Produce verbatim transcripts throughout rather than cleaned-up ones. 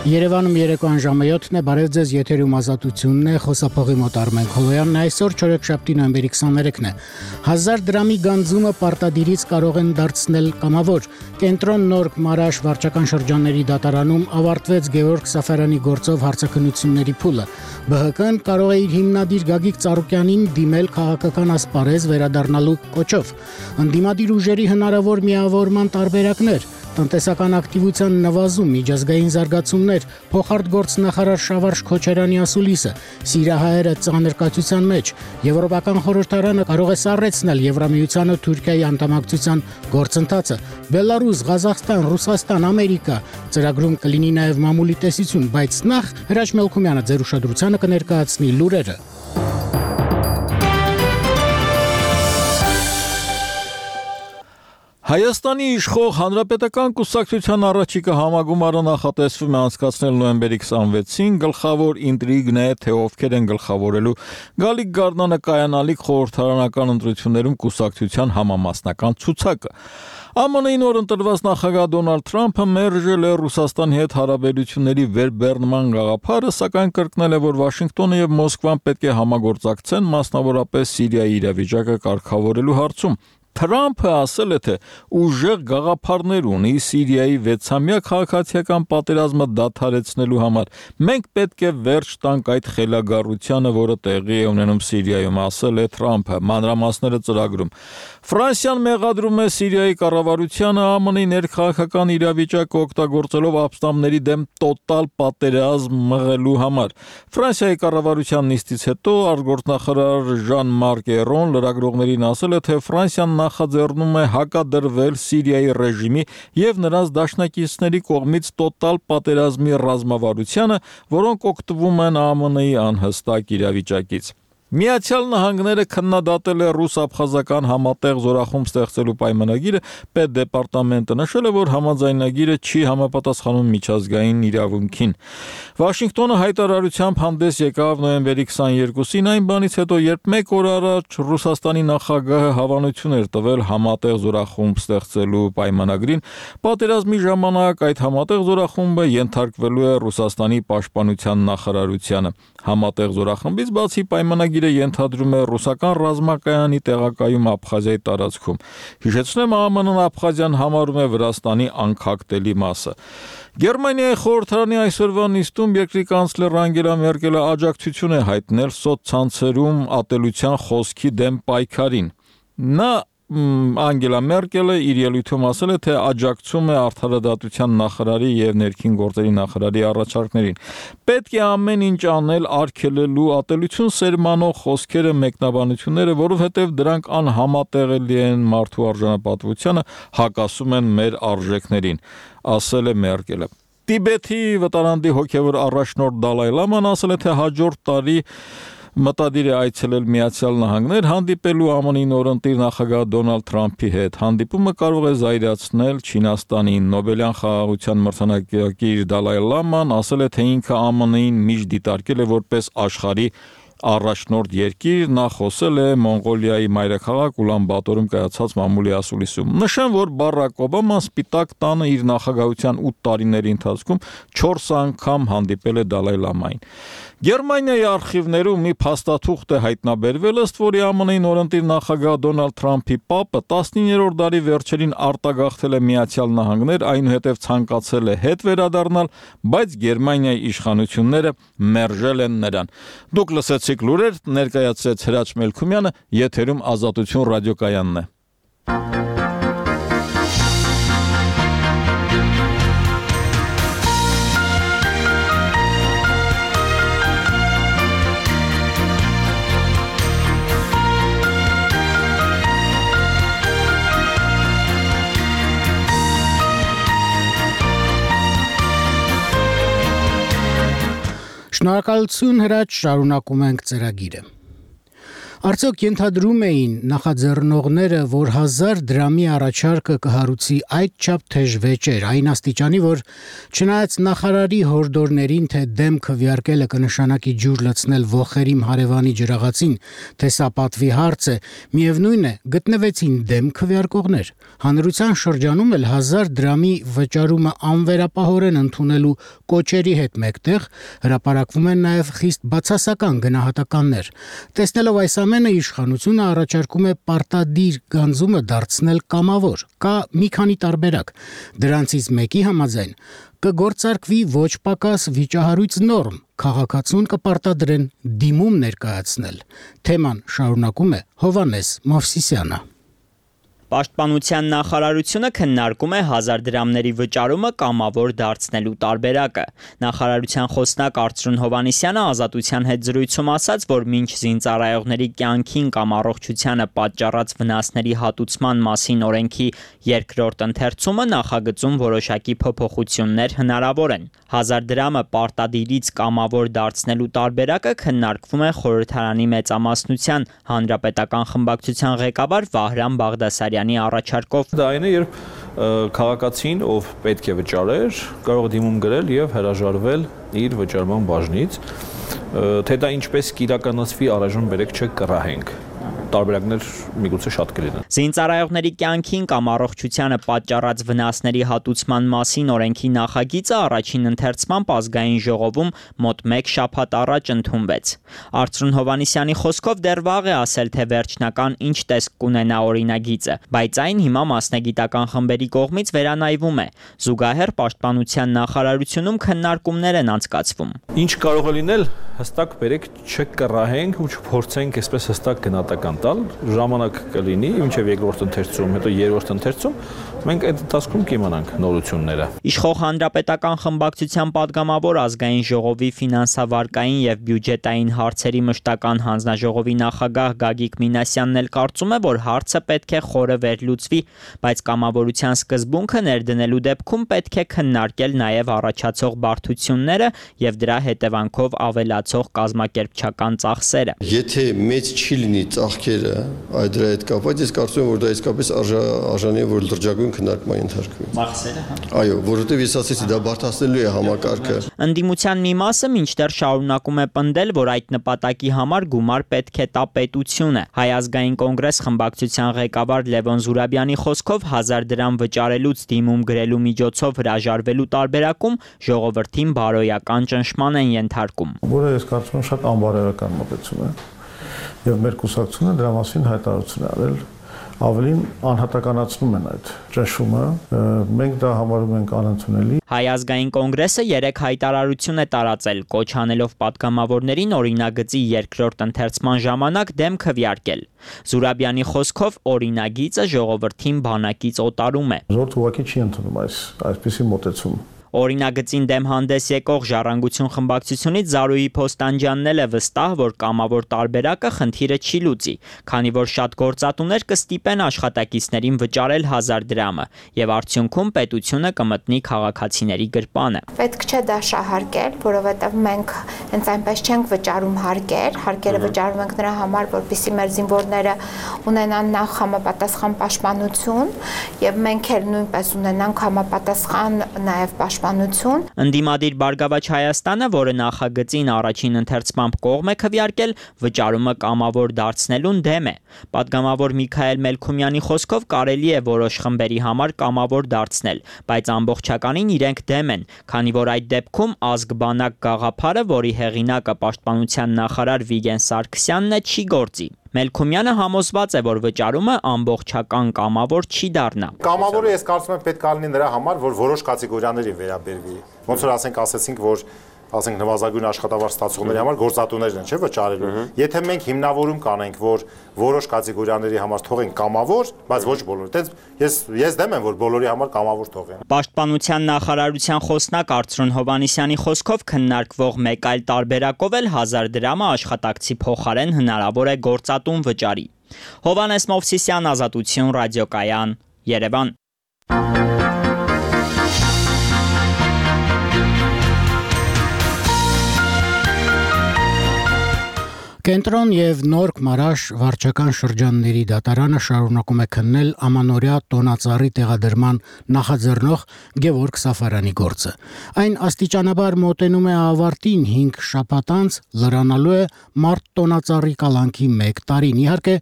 Երևանում երեկոյան ժամը յոթն է, բարև ձեզ, եթերում Ազատությունն է, խոսափողի մոտ Արմեն Քոլոյանն է, այսօր չորեքշաբթի նոյեմբերի քսաներեքն է։ Հազար դրամի գանձումը պարտադիրից կարող են դարձնել կամավոր։ Կենտրոն Նոր Մարաշ վարչական շրջանների դատարանում ավարտվեց Գևորգ Սաֆարյանի գործով հարցաքննությունների փուլը։ Բ Հ Կն կարող է իր հիմնադիր Գագիկ Ծառուկյանին դիմել քաղաքական ասպարեզ վերադառնալու կոչով։ Ընդդիմադիր ուժերի հնարավոր միավորման տարբերակներ, տնտեսական ակտիվության նվազում, միջազգային զարգացումներ, փոխարտգործնախարար Շավարժ Քոչարյանի ասուլիսը, սիրահայերը ծանր կացության մեջ, Եվրոպական խորհրդարանը կարող է սառեցնել Եվրամիությանը Թուրքիայի անդամակցության գործընթացը, Բելարուս, Ղազախստան, Ռուսաստան, Ամերիկա, ծրագրում կլինի նաև մամուլի տեսություն, բայց նախ Հրաչ Մելքումյանը ձեր ուշադրությանը կներկայացնի լուրերը։ Հայաստանի իշխող Հանրապետական կուսակցության առաջիկա համագումարը նախատեսվում է անցկացնել նոյեմբերի քսանվեցին, գլխավոր ինտրիգն է, թե ովքեր են գլխավորելու Գալիկ Գառնանը կայանալիք խորհրդարանական ընտրություններում կուսակցության համամասնական ցուցակը։ Է Մ Ն-ի նոր ընտրված նախագահ Դոնալդ Թրամփը մերժել է Ռուսաստանի հետ հարաբերությունների վերբեռնման գաղափարը, սակայն կրկնել է, որ Վաշինգտոնը եւ Մոսկվան պետք է համագործակցեն, մասնավորապես Սիրիայի իրավիճակը կարգավորելու հարցում։ Թրամփը ասել է, թե ուժեղ գաղափարներ ունի Սիրիայի վեցամյա քաղաքացիական պատերազմը դադարեցնելու համար։ Մենք պետք է վերջ տանք այդ խելագարությանը, որը տեղի է ունենում Սիրիայում, ասել է Թրամփը, մանրամասները ծրագրում։ Ֆրանսիան մեղադրում է Սիրիայի կառավարությանը Է Մ Ն-ի ներքաղաքական իրավիճակը օգտագործելով ապստամբների դեմ տոտալ պատերազմ մղելու համար։ Ֆրանսիայի կառավարության նիստից հետո արտգործնախարար Ժան-Մարկ Էրոն լրագրողներին ասել է, թե Ֆրանսիան նախաձեռնում է հակադրվել Սիրիայի ռեժիմի եւ նրանց դաշնակիցների կողմից տոտալ պատերազմի ռազմավարությանը, որոնք օգտվում են Է Մ Ն-ի անհստակ իրավիճակից։ Միացյալ Նահանգները քննադատել է ռուս-աբխազական համատեղ զորախումբ ստեղծելու պայմանագիրը, Պետդեպարտամենտը նշել է, որ համաձայնագիրը չի համապատասխանում միջազգային իրավունքին։ Վաշինգտոնը հայտարարությամբ հանդես եկավ նոյեմբերի քսաներկուսին, այն բանից հետո, երբ մեկ օր առաջ Ռուսաստանի նախագահը հավանություն էր տվել համատեղ զորախումբ ստեղծելու պայմանագրին, պատերազմի ժամանակ այդ համատեղ զորախումբը ենթարկվելու է Ռուսաստանի պաշտպանության նախարարությանը։ Համատեղ զորախմբից բացի պայմանագիրը ենթադրում է ռուսական ռազմակայանի տեղակայում Աբխազիայի տարածքում։ Հիշեցնեմ, Է Մ Ն-ն Աբխազիան համարում է Վրաստանի անկախտելի մասը։ Գերմանիայի խորհրդարանի այսօրվա նիստում երկրի կանցլեր Անգելա Մերկելը աջակցություն է հայտնել սոցցանցերում ատելության խոսքի դեմ պայքարին։ Նա Անգելա Մերկելը իր ելույթում ասել է, թե աջակցում է արդարադատության նախարարի եւ ներքին գործերի նախարարի առաջարկներին։ Պետք է ամեն ինչ անել արգելելու ատելություն սերմանող խոսքերը, մեկնաբանությունները, որովհետեւ դրանք անհամատեղելի են մարդու արժանապատվությանը, հակասում են մեր արժեքներին, ասել է Մերկելը։ Տիբեթի վտարանդի հոգևոր առաջնորդ Դալայ Լաման ասել է, թե հաջորդ տարի մտադիր է այցելել Միացյալ Նահանգներ, հանդիպելու Է Մ Ն-ի նորընտիր նախագահ Դոնալդ Թրամփի հետ։ Հանդիպումը կարող է զայրացնել Չինաստանին։ Նոբելյան խաղաղության մրցանակակիր Դալայ Լաման ասել է, թե ինքը Է Մ Ն-ին միշտ դիտարկել է որպես աշխարհի առաջնորդ երկիր, նա խոսել է Մոնղոլիայի մայրաքաղաք Ուլան Բաթորում կայացած մամուլի ասուլիսում։ Նշեմ, որ Բարակ Օբաման Սպիտակ տանը իր նախագահության ութ տարիների ընթացքում չորս անգամ հանդիպել է Դալայ Լամային։ Գերմանիայի արխիվներում մի փաստաթուղթ է հայտնաբերվել, ըստ որի Է Մ Ն-ի նորընտիր նախագահ Դոնալդ Թրամփի պապը տասնիններորդ դարի վերջերին արտագաղթել է Միացյալ Նահանգներ, այնուհետև ցանկացել է հետ վերադառնալ, բայց Գերմանիայի իշխանությունները մերժել են նրան։ Դուք լսեցիք լուրեր, ներկայացրեց Հրաչ Մելքումյանը, եթերում Ազատություն ռադիոկայանն է։ Շնորհակալություն Հրաչ, շարունակում ենք ծրագիրը։ Արդյոք ենթադրում էին նախաձեռնողները, որ հազար դրամի առաջարկը կհարուցի այդչափ թեժ վեճեր, այն աստիճանի, որ չնայած նախարարի հորդորներին, թե դեմ քվեարկելը կնշանակի ջուր լցնել ոխերիմ հարևանի ջրաղացին, թե սա պատվի հարց է, միևնույն է, գտնվեցին դեմ քվեարկողներ։ Հանրության շրջանում էլ հազար դրամի վճարումը անվերապահորեն ընդունելու կոչերի հետ մեկտեղ հրապարակվում են նաև խիստ բացասական գնահատականներ։ Տեսնելով այս ամենը, իշխանությունը առաջարկում է պարտադիր գանձումը դարձնել կամավոր։ Կա մի քանի տարբերակ։ Դրանցից մեկի համաձայն կգործարկվի ոչ պակաս վիճահարույց նորմ, քաղաքացուն կպարտադրեն դիմում ներկայացնել։ Թեման շարունակում է Հովհաննես Մովսիսյանը։ Պաշտպանության նախարարությունը քննարկում է հազար դրամների վճարումը կամավոր դարձնելու տարբերակը։ Նախարարության խոսնակ Արծրուն Հովհաննիսյանը Ազատության հետ զրույցում ասաց, որ մինչ զինծառայողների կյանքին կամ առողջությանը պատճառած վնասների հատուցման մասին օրենքի երկրորդ ընթերցումը նախագծում որոշակի փոփոխություններ հնարավոր են։ Հազար դրամը պարտադիրից կամավոր դարձնելու տարբերակը քննարկվում է խորհրդարանի մեծամասնության հանրապետական խմբակցության ղեկավար Վահրամ Բաղդասարյանի առաջարկով։ Դա այն է, երբ քաղաքացին, ով պետք է վճարեր, կարող է դիմում գրել եւ հրաժարվել իր վճարման բաժնից, թե դա ինչպես կիրականացվի առայժմ բերեք չեք կռահենք։ Տարբերակներ միգուցե շատ կլինեն։ Զինծառայողների կյանքին կամ առողջությանը պատճառած վնասների հատուցման մասին օրենքի նախագիծը առաջին ընթերցմամբ ազգային ժողովում մոտ մեկ շաբաթ առաջ ընդունվեց։ Արծրուն Հովհաննիսյանի խոսքով դեռ վաղ է ասել, թե վերջնական ինչ տեսք կունենա օրինագիծը, բայց այն հիմա մասնագիտական խմբերի կողմից վերանայվում է։ Զուգահեռ Պաշտպանության նախարարությունում քննարկումներ են անցկացվում։ Ինչ կարող է լինել, հստակ բերեք չեք կռահենք ու չփորձենք այսպես հստակ գնահատական տալ, ժամանակ կլինի, մինչև երկրորդ ընթերցում, հետո երրորդ ընթերցում, մենք այդ ընթացքում կիմանանք նորությունները։ Իշխող հանրապետական խմբակցության падգամավոր ազգային ժողովի ֆինանսավարկային եւ բյուջետային հարցերի մշտական հանձնաժողովի նախագահ Գագիկ Մինասյանն էլ կարծում է, որ հարցը պետք է խորը վերլուծվի, բայց կամավորության սկզբունքը ներդնելու դեպքում պետք է քննարկել նաեւ առաջացող բարդությունները եւ դրա հետևանքով ավելացող կազմակերպչական ծախսերը։ Եթե մեծ չի լինի ծախքերը այդ դրա հետ կապված, ես կարծում եմ, որ դա իսկապես արժանի է, որ լրջագույն քննարկման ենթարկվի։ Ծախսերը, հա։ Այո, որովհետև ես ասեցի, դա բարդացնելու է համակարգը։ Ընդդիմության մի մասը մինչդեռ շարունակում է պնդել, որ այդ նպատակի համար գումար պետք է տա պետությունը։ Հայ ազգային կոնգրես խմբակցության ղեկավար Լևոն Զուրաբյանի խոսքով հազար դրամ վճարելուց դիմում գրելու միջոցով հրաժարվելու տարբերակում ժողովրդին բարոյական ճնշման են ենթարկում։ Որը ես կարծում եմ շատ անբարոյական մոտեցում է։ Եվ մեր կուսակցությունը դրա մասին հայտարարություն է արել, ավելին անհատականացնում են այդ ճնշումը, մենք դա համարում ենք անընդունելի։ Հայ ազգային կոնգրեսը երեք հայտարարություն է տարածել, կոչ անելով падգամավորներին օրինագծի երկրորդ ընթերցման ժամանակ դեմ քվեարկել։ Զուրաբյանի խոսքով օրինագիծը ժողովրդին բանակից օտարում է։ Զորդ ուղղակի չի ընդունում այս այսպիսի մոտեցում։ Օրինագծին դեմ հանդես եկող Ժառանգություն խմբակցությունից Զարուհի Փոստանջյանն էլ է վստահ, որ կամավոր տարբերակը խնդիրը չի լուծի, քանի որ շատ գործատուներ կստիպեն աշխատակիցներին վճարել հազար դրամը, եւ արդյունքում պետությունը կմտնի քաղաքացիների գրպանը։ Պետք չէ դա շահարկել, որովհետեւ մենք հենց այնպես չենք վճարում հարկեր, հարկերը վճարում ենք նրա համար, որպեսզի մեր զինվորները ունենան նախ համապատասխան պաշտպանություն, եւ մենք էլ նույնպես ունենանք համապատասխան նաեւ պաշտպանություն։ Ընդդիմադիր Բարգավաճ Հայաստանը, որը նախագծին առաջին ընթերցմամբ կողմ է քվեարկել, վճարումը կամավոր դարձնելուն դեմ է։ Պատգամավոր Միքայել Մելքումյանի խոսքով կարելի է որոշ խմբերի համար կամավոր դարձնել, բայց ամբողջականին իրենք դեմ են, քանի որ այդ դեպքում ազգ-բանակ գաղափարը, որի հեղինակը Պաշտպանության նախարար Վիգեն Սարգսյանն է, չի գործի։ Մելքումյանը համոզված է, որ վճարումը ամբողջական կամավոր չի դառնա։ Կամավորը ես կարծում եմ պետք է լինի նրա համար, որ որոշ կատեգորիաներին վերաբերվի։ Ոնց որ ասենք, ասեցինք, որ ասենք նվազագույն աշխատավարձ ստացողների համար գործատուներն են, չէ՞ վճարելու։ Եթե մենք հիմնավորում կանենք, որ որոշ կատեգորիաների համար թողենք կամավոր, բայց ոչ բոլորի։ Դենց ես ես դեմ եմ, որ բոլորի համար կամավոր թողեն։ Պաշտպանության նախարարության խոսնակ Արծրուն Հովհաննիսյանի խոսքով քննարկվող մեկ այլ տարբերակով էլ հազար դրամը աշխատակցի փոխարեն հնարավոր է գործատուն վճարի։ Հովհաննես Մովսիսյան, Ազատություն, ռադիոկայան, Երևան։ Կենտրոն եւ Նորք Մարաշ վարչական շրջանների դատարանը շարունակում է քննել ամանորյա տոնածառի տեղադրման նախաձեռնող Գևորգ Սաֆարյանի գործը։ Այն աստիճանաբար մոտենում է ավարտին հինգ շաբաթ անց լրանալու է մարտ տոնածառի կալանքի մեկ տարին։ Իհարկե,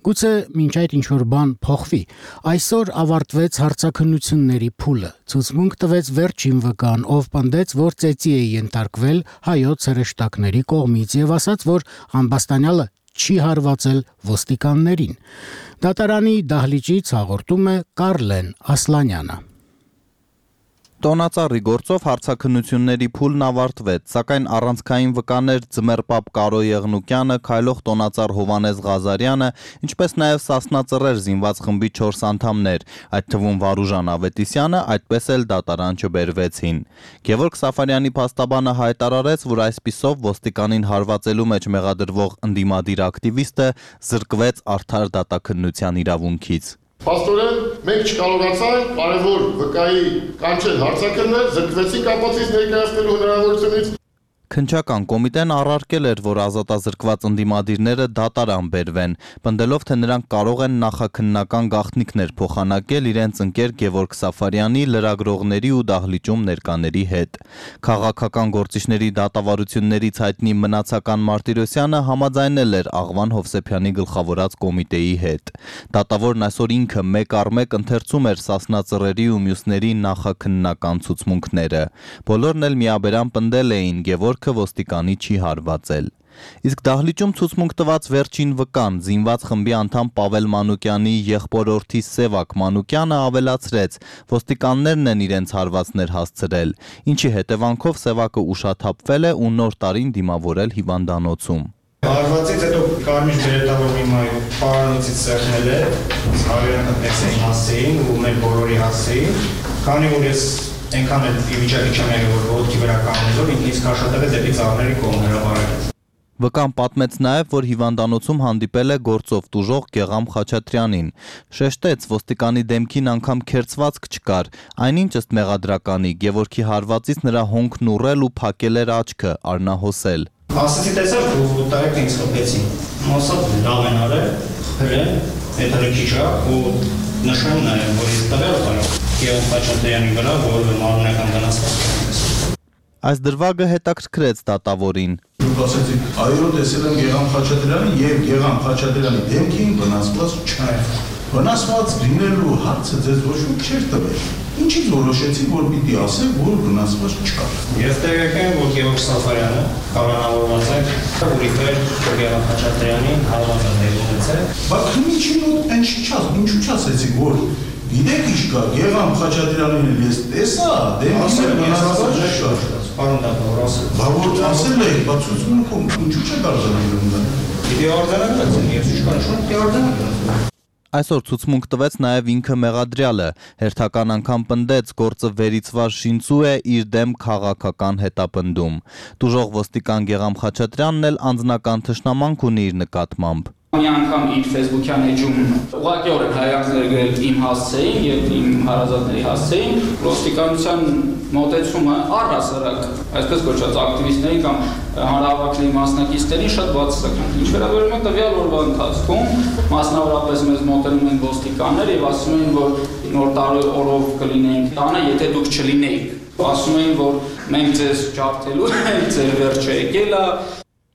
գուցե մինչ այդ ինչ-որ բան փոխվի։ Այսօր ավարտվեց հարցաքննությունների փուլը։ Ցուցմունք տվեց վերջին վկան, ով պնդեց, որ ծեծի է ենթարկվել հայոց հրեշտակների կողմից եւ ասաց, որ ամբաստանյալը չի հարվածել ոստիկաններին։ Դատարանի դահլիճից հաղորդում է Կարլեն Ասլանյանը։ Տոնածառի գործով հարցաքննությունների փուլն ավարտվեց, սակայն առանցքային վկաներ Ձմեռպապ Կարո Եղնուկյանը, Քայլող տոնածառ Հովանես Ղազարյանը, ինչպես նաև Սասնա Ծռեր զինված խմբի չորս անդամներ, այդ թվում Վարուժան Ավետիսյանը, այդպես էլ դատարան չբերվեցին։ Գևորգ Սաֆարյանի փաստաբանը հայտարարեց, որ այսպիսով ոստիկանին հարվածելու մեջ մեղադրվող ընդդիմադիր ակտիվիստը զրկվեց արդար դատաքննության իրավունքից։ Պաստորեն, մենք չկարողացանք կարևոր վկայի կանչել հարցաքննել, զրկվեցինք ապացույց ներկայացնելու հնարավորությունից։ Քննչական կոմիտեն առարկել էր, որ ազատազրկված ընդդիմադիրները դատարան բերվեն, պնդելով, թե նրանք կարող են նախաքննական գաղտնիքներ փոխանակել իրենց ընկեր Գևորգ Սաֆարյանի, լրագրողների ու դահլիճում ներկաների հետ։ Քաղաքական գործիչների դատավարություններից հայտնի Մնացական Մարտիրոսյանը համաձայնել էր Աղվան Հովսեփյանի գլխավորած կոմիտեի հետ։ Դատավորն այսօր ինքը մեկ առ մեկ ընթերցում էր Սասնա Ծռերի ու մյուսների նախաքննական ցուցմունքները։ Բոլորն էլ միաբերան պնդել էին Գևորգ ոստիկանի չի հարվածել։ Իսկ դահլիճում ցուցմունք տված վերջին վկան զինված խմբի անդամ Պավել Մանուկյանի եղբորորդի Սևակ Մանուկյանը ավելացրեց, ոստիկաններն են իրենց հարվածներ հասցրել, ինչի հետևանքով Սևակը ուշաթափվել է ու նոր տարին դիմավորել հիվանդանոցում։ Հարվածից հետո կարմիր բերետավոր մի մայ պարանոցից սեղմել է, հարյուրը տեսին հասցեին ու մեր բոլորի հասցեին, քանի որ ես այնքան էլ վիճակի չեմ եղել, որ ոտքի վրա կանգնելով ինքնից քաշատել է դեպի ծառների կողմ հրապարակեց։ Վկան պատմեց նաև, որ հիվանդանոցում հանդիպել է գործով տուժող Գեղամ Խաչատրյանին։ Շեշտեց, ոստիկանի դեմքին անգամ քերծվածք չկար, այնինչ ըստ մեղադրականի Գևորգի հարվածից նրա հոնքն ուռել ու փակել էր աչքը, արնահոսել։ Ասեցի տեսար, որ տարեք ինձ խփեցին։ Մասը լավ են արել, խփել, հետո քիչ ու նշում նաև, որ իսկ տվել կարող Գեղամ Խաչատրյանի վրա, որը մարմնական վնասված է։ Այս դրվագը հետաքրքրեց դատավորին։ Դուք ասեցիք, այո, տեսել եմ Գեղամ Խաչատրյանին եւ Գեղամ Խաչատրյանի դեմքին վնասված չէ։ Վնասված լինելու հարցը ձեզ ոչ ոք չէր տվել։ Ինչից որոշեցիք, որ պիտի ասեք, որ վնասված չկա։ Ես տեղեկ եմ, որ Գևորգ Սաֆարյանը կանոնավորված է, որ իբր Գեղամ Խաչատրյանին հարվածել ունեցել։ Բայց ինչի՞ մոտ այն չչաս, ինչու՞ չասեցիք, որ գիտեք ինչ կա, Գեղամ Խաչատրյանին ես տեսա, դեմքին վնասված չէ։ Պարոն դատավոր, ասել։ Բա որ ասել եք, բայց ցուցմունքում ինչու՞ չեք արձանագրում։ Պիտի արձանագրեցին, ես ինչ կանչում, պիտի արձանագրեցին։ Այսօր ցուցմունք տվեց նաև ինքը մեղադրյալը, հերթական անգամ պնդեց գործը վերիցված շինծու է իր դեմ քաղաքական հետապնդում։ Տուժող ոստիկան Գեղամ Խաչատրյանն էլ անձնական թշնամանք ունի իր նկատմամբ։ Մի անգամ իր Facebook-յան էջում ուղղակիորեն հայացքներ գրել իմ հասցեին եւ իմ հարազատների հասցեին, ոստիկանության մոտեցումը առհասարակ, այսպես կոչված ակտիվիստների կամ հանրահավաքների մասնակիցներին շատ բացասական։ Ինչ վերաբերում է տվյալ օրվա ընթացքում, մասնավորապես մեզ մոտենում են ոստիկաններ եւ ասում են, որ նոր տարի օրով կլինենք տանը, եթե դուք չլինեիք։ Ասում են, որ մենք ձեզ ջարդելու ենք, ձեր վերջը եկել է։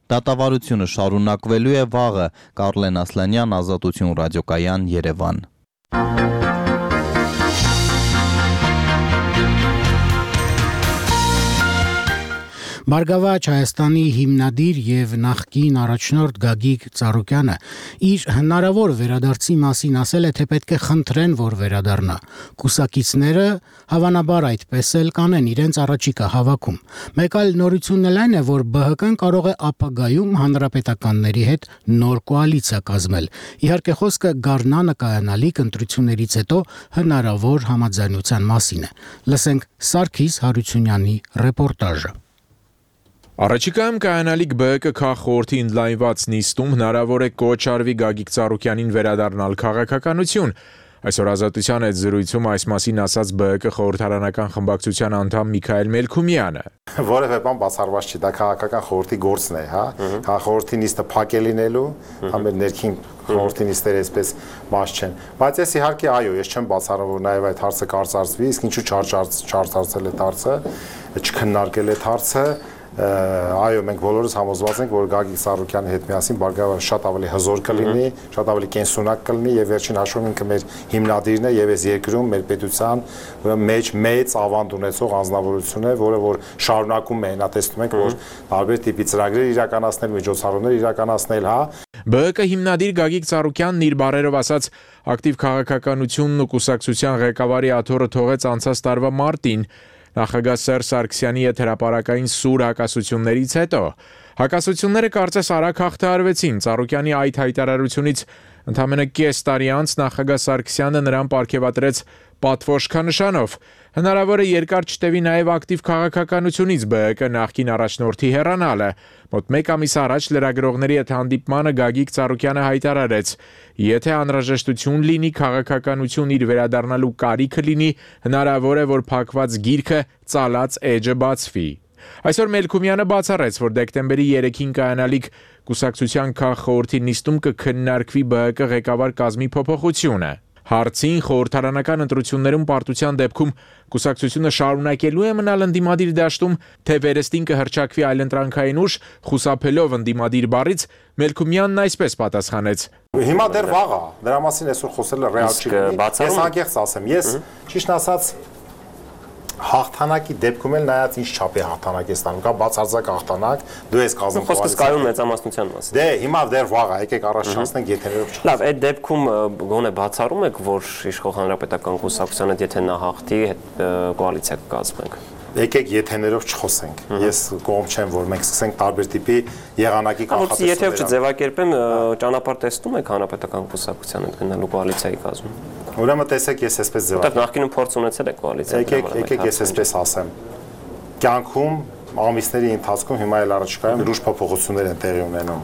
Դատավարությունը շարունակվելու է վաղը։ Կարլեն Ասլանյան, Ազատություն ռադիոկայան, Երևան։ Բարգավաճ Հայաստանի հիմնադիր եւ նախկին առաջնորդ Գագիկ Ծառուկյանը իր հնարավոր վերադարձի մասին ասել է, թե պետք է խնդրեն, որ վերադառնա։ Կուսակիցները հավանաբար այդպես էլ կանեն իրենց առաջիկա հավաքում։ Մեկ այլ նորությունն էլ այն է, որ B H K-ն կարող է ապագայում հանրապետականների հետ նոր կոալիցիա կազմել։ Իհարկե խոսքը Գառնանը կայանալիք ընտրություններից հետո հնարավոր համաձայնության մասին է։ Լսենք Սարգիս Հարությունյանի ռեպորտաժը։ Առաջիկայում կայանալիք B H K քաղխորհրդի ընդլայնված նիստում հնարավոր է կոչ արվի Գագիկ Ծառուկյանին վերադառնալ քաղաքականություն։ Այսօր Ազատության հետ զրույցում այս մասին ասաց ԲՀԿ խորհրդարանական խմբակցության անդամ Միքայել Մելքումյանը։ Որևէ բան բացառված չի, դա քաղաքական խորհրդի գործն է, հա։ Խորհրդի նիստը փակ է լինելու, հա մեր ներքին խորհրդի նիստերը այսպես բաց չեն։ Բայց ես իհարկե այո, ես չեմ բացառում, որ նաև այդ հարցը կարծարծվի, իսկ ինչու չարծարծել է հարցը, չքննարկել է հարցը։ Այո, մենք բոլորս համոզված ենք, որ Գագիկ Ծառուկյանի հետ միասին բարգավաճ շատ ավելի հզոր կլինի, շատ ավելի կենսունակ կլինի եւ վերջին հաշվով ինքը մեր հիմնադիրն է եւ այս երկրում մեր պետության մեջ մեծ ավանդ ունեցող անձնավորություն է, որը որ շարունակում է, նա տեսնում ենք, որ տարբեր տիպի ծրագրեր իրականացնել, միջոցառումներ իրականացնել, հա։ ԲՀԿ հիմնադիր Գագիկ Ծառուկյանն իր բառերով ասաց, ակտիվ քաղաքականությունն ու կուսակցության ղեկավարի աթոռը թողեց անցած տարվա մարտին։ Նախագահ Սերժ Սարգսյանի հետ հրապարակային սուր հակասություններից հետո հակասությունները կարծես արագ հաղթահարվեցին։ Ծառուկյանի այդ հայտարարությունից ընդամենը կես տարի անց նախագահ Սարգսյանը նրան պարգևատրեց պատվոշքանշանով։ Հնարավոր է երկար չտևի նաև ակտիվ քաղաքականությունից ԲՀԿ նախկին առաջնորդի հեռանալը։ Մոտ մեկ ամիս առաջ լրագրողների հետ հանդիպմանը Գագիկ Ծառուկյանը հայտարարեց. եթե անհրաժեշտություն լինի քաղաքականություն իր վերադառնալու կարիքը լինի, հնարավոր է, որ փակված գիրքը ծալած էջը բացվի։ Այսօր Մելքումյանը բացառեց, որ դեկտեմբերի երեքին կայանալիք կուսակցության քաղխորհրդի նիստում կքննարկվի ԲՀԿ ղեկավար կազմի փոփոխությունը։ Հարցին խորհրդարանական ընտրություններում պարտության դեպքում կուսակցությունը շարունակելու է մնալ ընդդիմադիր դաշտում, թե վերստին կհռչակվի այլընտրանքային ուժ, խուսափելով ընդդիմադիր բառից, Մելքումյանն այսպես պատասխանեց. Հիմա դեռ վաղ է, դրա մասին այսօր խոսելը ռեալ չի։ Ես անկեղծ ասեմ, ես ճիշտ ասած հաղթանակի դեպքում էլ նայած ինչ չափի հաղթանակ է ստանում, կա բացարձակ հաղթանակ, դու ես կազմում խոսքը սկայում մեծամասնության մասին։ Դե հիմա դեռ վաղ է, եկեք առաջ չանցնենք եթերով չ։ Լավ, այդ դեպքում գոնե բացառում եք, որ իշխող հանրապետական կուսակցության հետ եթե նա հաղթի, կոալիցիա կկազմենք։ Եկեք եթեներով չխոսենք։ Ես կողմ չեմ, որ մենք սկսենք տարբեր տիպի եղանակի կանխատեսումներ։ Եթե չձևակերպեմ, ճանապարհ տեսնում եք հանրապետական կուսակցության հետ գնալու կոալիցիայի կազմում։ Ուրեմն տեսեք, ես այսպես ձևակերպեմ։ Որտեղ նախկինում փորձ ունեցել եք կոալիցիա։ Եկեք, եկեք ես այսպես ասեմ։ Կյանքում ամիսների ընթացքում հիմա էլ առաջիկայում լուրջ փոփոխություններ են տեղի ունենում։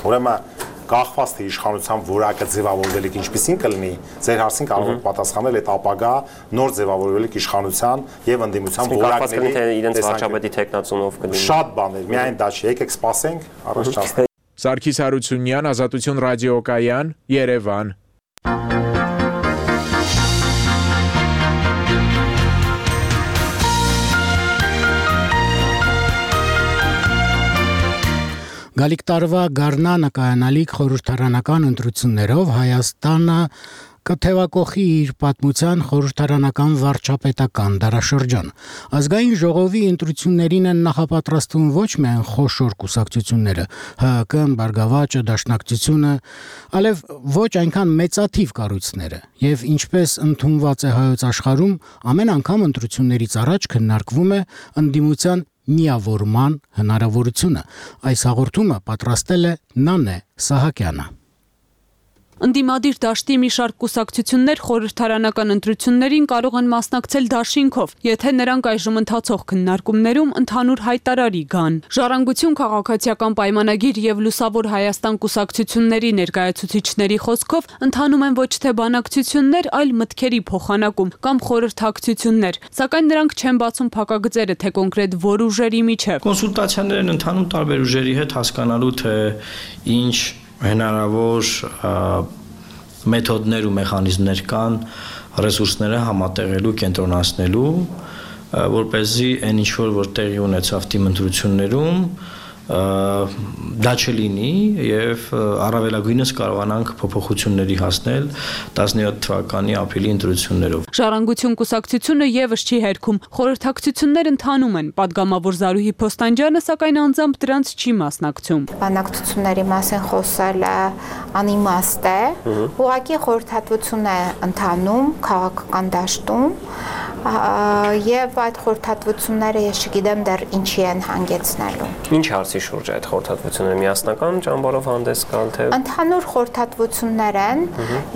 Ուրեմն կախված թե իշխանության որակը ձևավորվելիք ինչպեսին կլինի, ձեր հարցին կարող եք պատասխանել այդ ապագա նոր ձևավորվելիք իշխանության եւ ընդդիմության որակների թե իրենց վարչապետի տեխնացունով կլինի։ Շատ բաներ, միայն դա չի, եկեք սպասենք, առաջ չանցնենք։ Սարգիս Հարությունյան, Ազատություն ռադիոկայան, Երևան։ Գալիք տարվա գարնանը կայանալիք խորհրդարանական ընտրություններով Հայաստանը կթևակողի իր պատմության խորհրդարանական վարչապետական դարաշրջան։ Ազգային ժողովի ընտրություններին են նախապատրաստվում ոչ միայն խոշոր կուսակցությունները, ՀՀԿ-ն, Բարգավաճը, Դաշնակցությունը, այլև ոչ այնքան մեծաթիվ կառույցները, եւ ինչպես ընդունված է հայոց աշխարհում, ամեն անգամ ընտրություններից առաջ քննարկվում է ընդդիմության միավորման հնարավորությունը։ Այս հաղորդումը պատրաստել է Նանե Սահակյանը։ Ընդդիմադիր դաշտի մի շարք կուսակցություններ խորհրդարանական ընտրություններին կարող են մասնակցել դաշինքով, եթե նրանք այժմ ընթացող քննարկումներում ընդհանուր հայտարարի գան։ Ժառանգություն քաղաքացիական պայմանագիր եւ Լուսավոր Հայաստան կուսակցությունների ներկայացուցիչների խոսքով ընթանում են ոչ թե բանակցություններ, այլ մտքերի փոխանակում կամ խորհրդակցություններ, սակայն նրանք չեն բացում փակագծերը, թե կոնկրետ որ ուժերի միջև։ Կոնսուլտացիաներ են ընթանում տարբեր ուժերի հետ հասկանալու թե ինչ հնարավոր մեթոդներ ու մեխանիզմներ կան ռեսուրսները համատեղելու, կենտրոնացնելու, որպեսզի այն ինչ որ տեղի ունեցավ դիմընտրություններում դա չլինի եւ առավելագույնս կարողանանք փոփոխությունների հասնել տասնյոթ թվականի ապրիլի ընտրություններով։ Ժառանգություն կուսակցությունը եւս չի հերքում, խորհրդակցություններ ընթանում են, падգամավոր Զարուհի Փոստանջյանը սակայն անձամբ դրանց չի մասնակցում։ Բանակցությունների մասին խոսելը անիմաստ է, ուղղակի խորհրդատվություն է ընթանում քաղաքական դաշտում եւ այդ խորհրդատվությունները ես չգիտեմ դեռ ինչի են հանգեցնելու։ Ինչ հարցի շուրջ է այդ խորհրդատվությունը միասնական ճամբարով հանդես գալ թե Ընդհանուր խորհրդատվություններ են,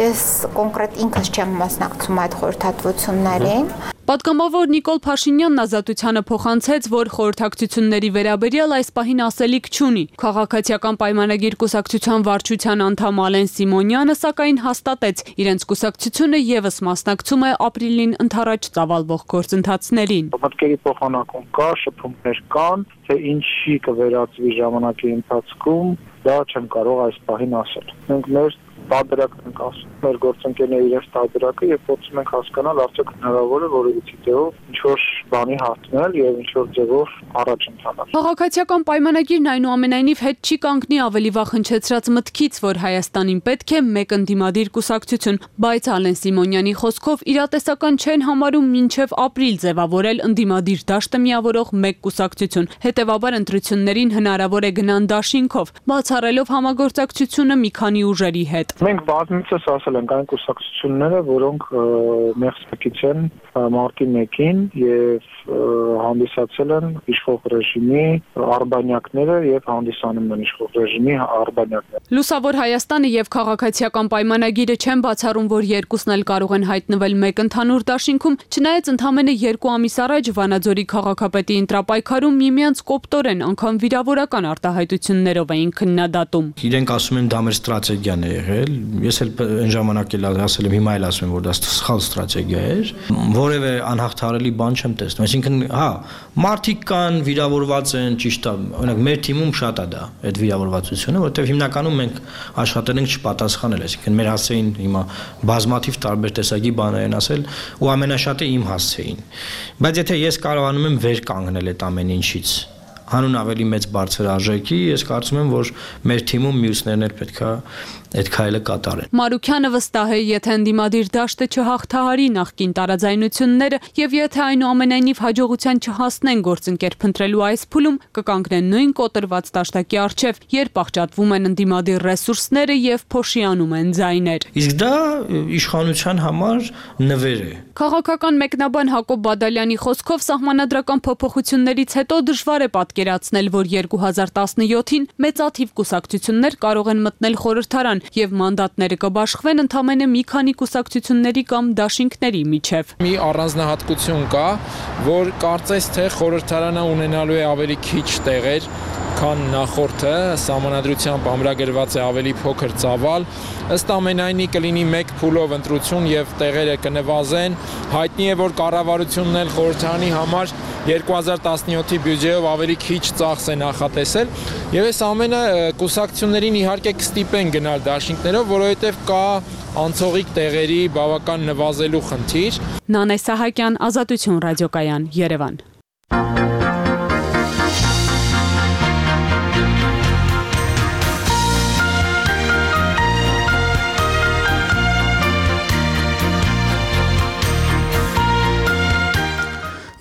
ես կոնկրետ ինքս չեմ մասնակցում այդ խորհրդատվություններին։ Պատգամավոր Նիկոլ Փաշինյանն Ազատությանը փոխանցեց, որ խորհրդակցությունների վերաբերյալ այս պահին ասելիք չունի։ Քաղաքացիական պայմանագիր կուսակցության վարչության անդամ Ալեն Սիմոնյանը սակայն հաստատեց, իրենց կուսակցությունը եւս մասնակցում է ապրիլին ընդառաջ ծավալվող գործընթացներին։ Մտքերի փոխանակում կա, շփումներ կան, թե ինչի կվերածվի ժամանակի ընթացքում, դա չեմ կարող այս պահին ասել։ Մենք մեր տարբերակն ենք ասում, մեր գործընկերները իրենց տարբերակը եւ փորձում ենք հասկանալ արդյոք հնարավոր է որևիցե ձևով ինչ-որ բանի հաղթնել եւ ինչ-որ ձևով առաջ ընթանալ։ Քաղաքացիական պայմանագիրն այնուամենայնիվ հետ չի կանգնի ավելի վաղ հնչեցրած մտքից, որ Հայաստանին պետք է մեկ ընդդիմադիր կուսակցություն, բայց Ալեն Սիմոնյանի խոսքով իրատեսական չեն համարում մինչև ապրիլ ձևավորել ընդդիմադիր դաշտը միավորող մեկ կուսակցություն։ Հետևաբար ընտրություններին հնարավոր է գնան դաշինքով, բացառելով համագործակցությունը մի քանի ուժերի հետ։ Մենք բազմիցս ասել ենք այն կուսակցությունները, որոնք մեղսպեկից են մարտի մեկին եւ հանդիսացել են իշխող ռեժիմի արբանյակները եւ հանդիսանում են իշխող ռեժիմի արբանյակները։ Լուսավոր Հայաստանը եւ քաղաքացիական պայմանագիրը չեն բացառում, որ երկուսն էլ կարող են հայտնվել մեկ ընդհանուր դաշինքում, չնայած ընդամենը երկու ամիս առաջ Վանաձորի քաղաքապետի ընտրապայքարում միմյանց կոպտորեն անգամ վիրավորական արտահայտություններով էին քննադատում։ Իրենք ասում են դա մեր ստրատեգիան է եղել, ես էլ այն ժամանակ էլ ասել եմ, հիմա էլ ասում եմ, որ դա սխալ ստրատեգիա էր, որևէ անհաղթահարելի բան չեմ տեսնում։ Այսինքն, հա, մարդիկ կան, վիրավորված են, ճիշտ է, օրինակ մեր թիմում շատ է դա, այդ վիրավորվածությունը, որովհետև հիմնականում մենք աշխատել ենք չպատասխանել, այսինքն մեր հասցեին հիմա բազմաթիվ տարբեր տեսակի բաներ են ասել ու ամենաշատը իմ հասցեին։ Բայց եթե ես կարողանում եմ վեր կանգնել այդ ամեն ինչից, հանուն ավելի մեծ բարձր արժեքի, ես կարծում եմ, որ մեր թիմում մյուսներն էլ պետքա այդ քայլը կատարեն։ Մարուքյանը վստահ է, եթե ընդդիմադիր դաշտը չհաղթահարի նախկին տարաձայնությունները եւ եթե այնուամենայնիվ հաջողության չհասնեն գործընկեր փնտրելու այս փուլում, կկանգնեն նույն կոտրված դաշտակի առջև, երբ աղճատվում են ընդդիմադիր ռեսուրսները եւ փոշիանում են ձայներ։ Իսկ դա իշխանության համար նվեր է։ Քաղաքական մեկնաբան Հակոբ Բադալյանի խոսքով սահմանադրական փոփոխություններից հետո դժվար է պատկերացնել, որ երկու հազար տասնյոթին մեծաթիվ կուսակցություններ կարող են մտնել խորհրդարան եւ մանդատները կբաշխվեն ընդամենը մի քանի կուսակցությունների կամ դաշինքների միջև։ Մի առանձնահատկություն կա, որ կարծես թե խորհրդարանը ունենալու է ավելի քիչ տեղեր, քան նախորդը, սահմանադրությամբ ամրագրված է ավելի փոքր ծավալ, ըստ ամենայնի կլինի մեկ փուլով ընտրություն եւ տեղերը կնվազեն, հայտնի է, որ կառավարությունն էլ խորհրդարանի համար երկու հազար տասնյոթի բյուջեով ավելի քիչ ծախս է նախատեսել եւ այս ամենը կուսակցություններին իհարկե կստիպեն գնալ դաշինքներով, որովհետեւ կա անցողիկ տեղերի բավական նվազելու խնդիր։ Նանե Սահակյան, Ազատություն ռադիոկայան, Երևան։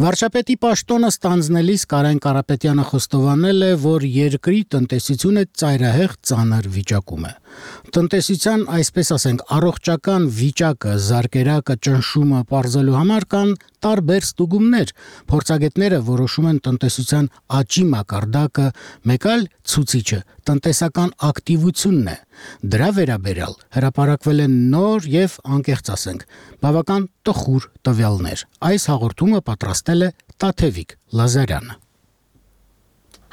Վարչապետի պաշտոնը ստանձնելիս Կարեն Կարապետյանը խոստովանել է, որ երկրի տնտեսությունը ծայրահեղ ծանր վիճակում է։ Տնտեսության, այսպես ասենք, առողջական վիճակը, զարկերակը, ճնշումը պարզելու համար կան տարբեր ստուգումներ։ Փորձագետները որոշում են տնտեսության աճի մակարդակը, մեկ այլ ցուցիչը տնտեսական ակտիվությունն է։ Դրա վերաբերյալ հրապարակվել են նոր եւ անկեղծ ասենք, բավական տխուր տվյալներ։ Այս հաղորդումը պատրաստել է Տաթևիկ Լազարյանը։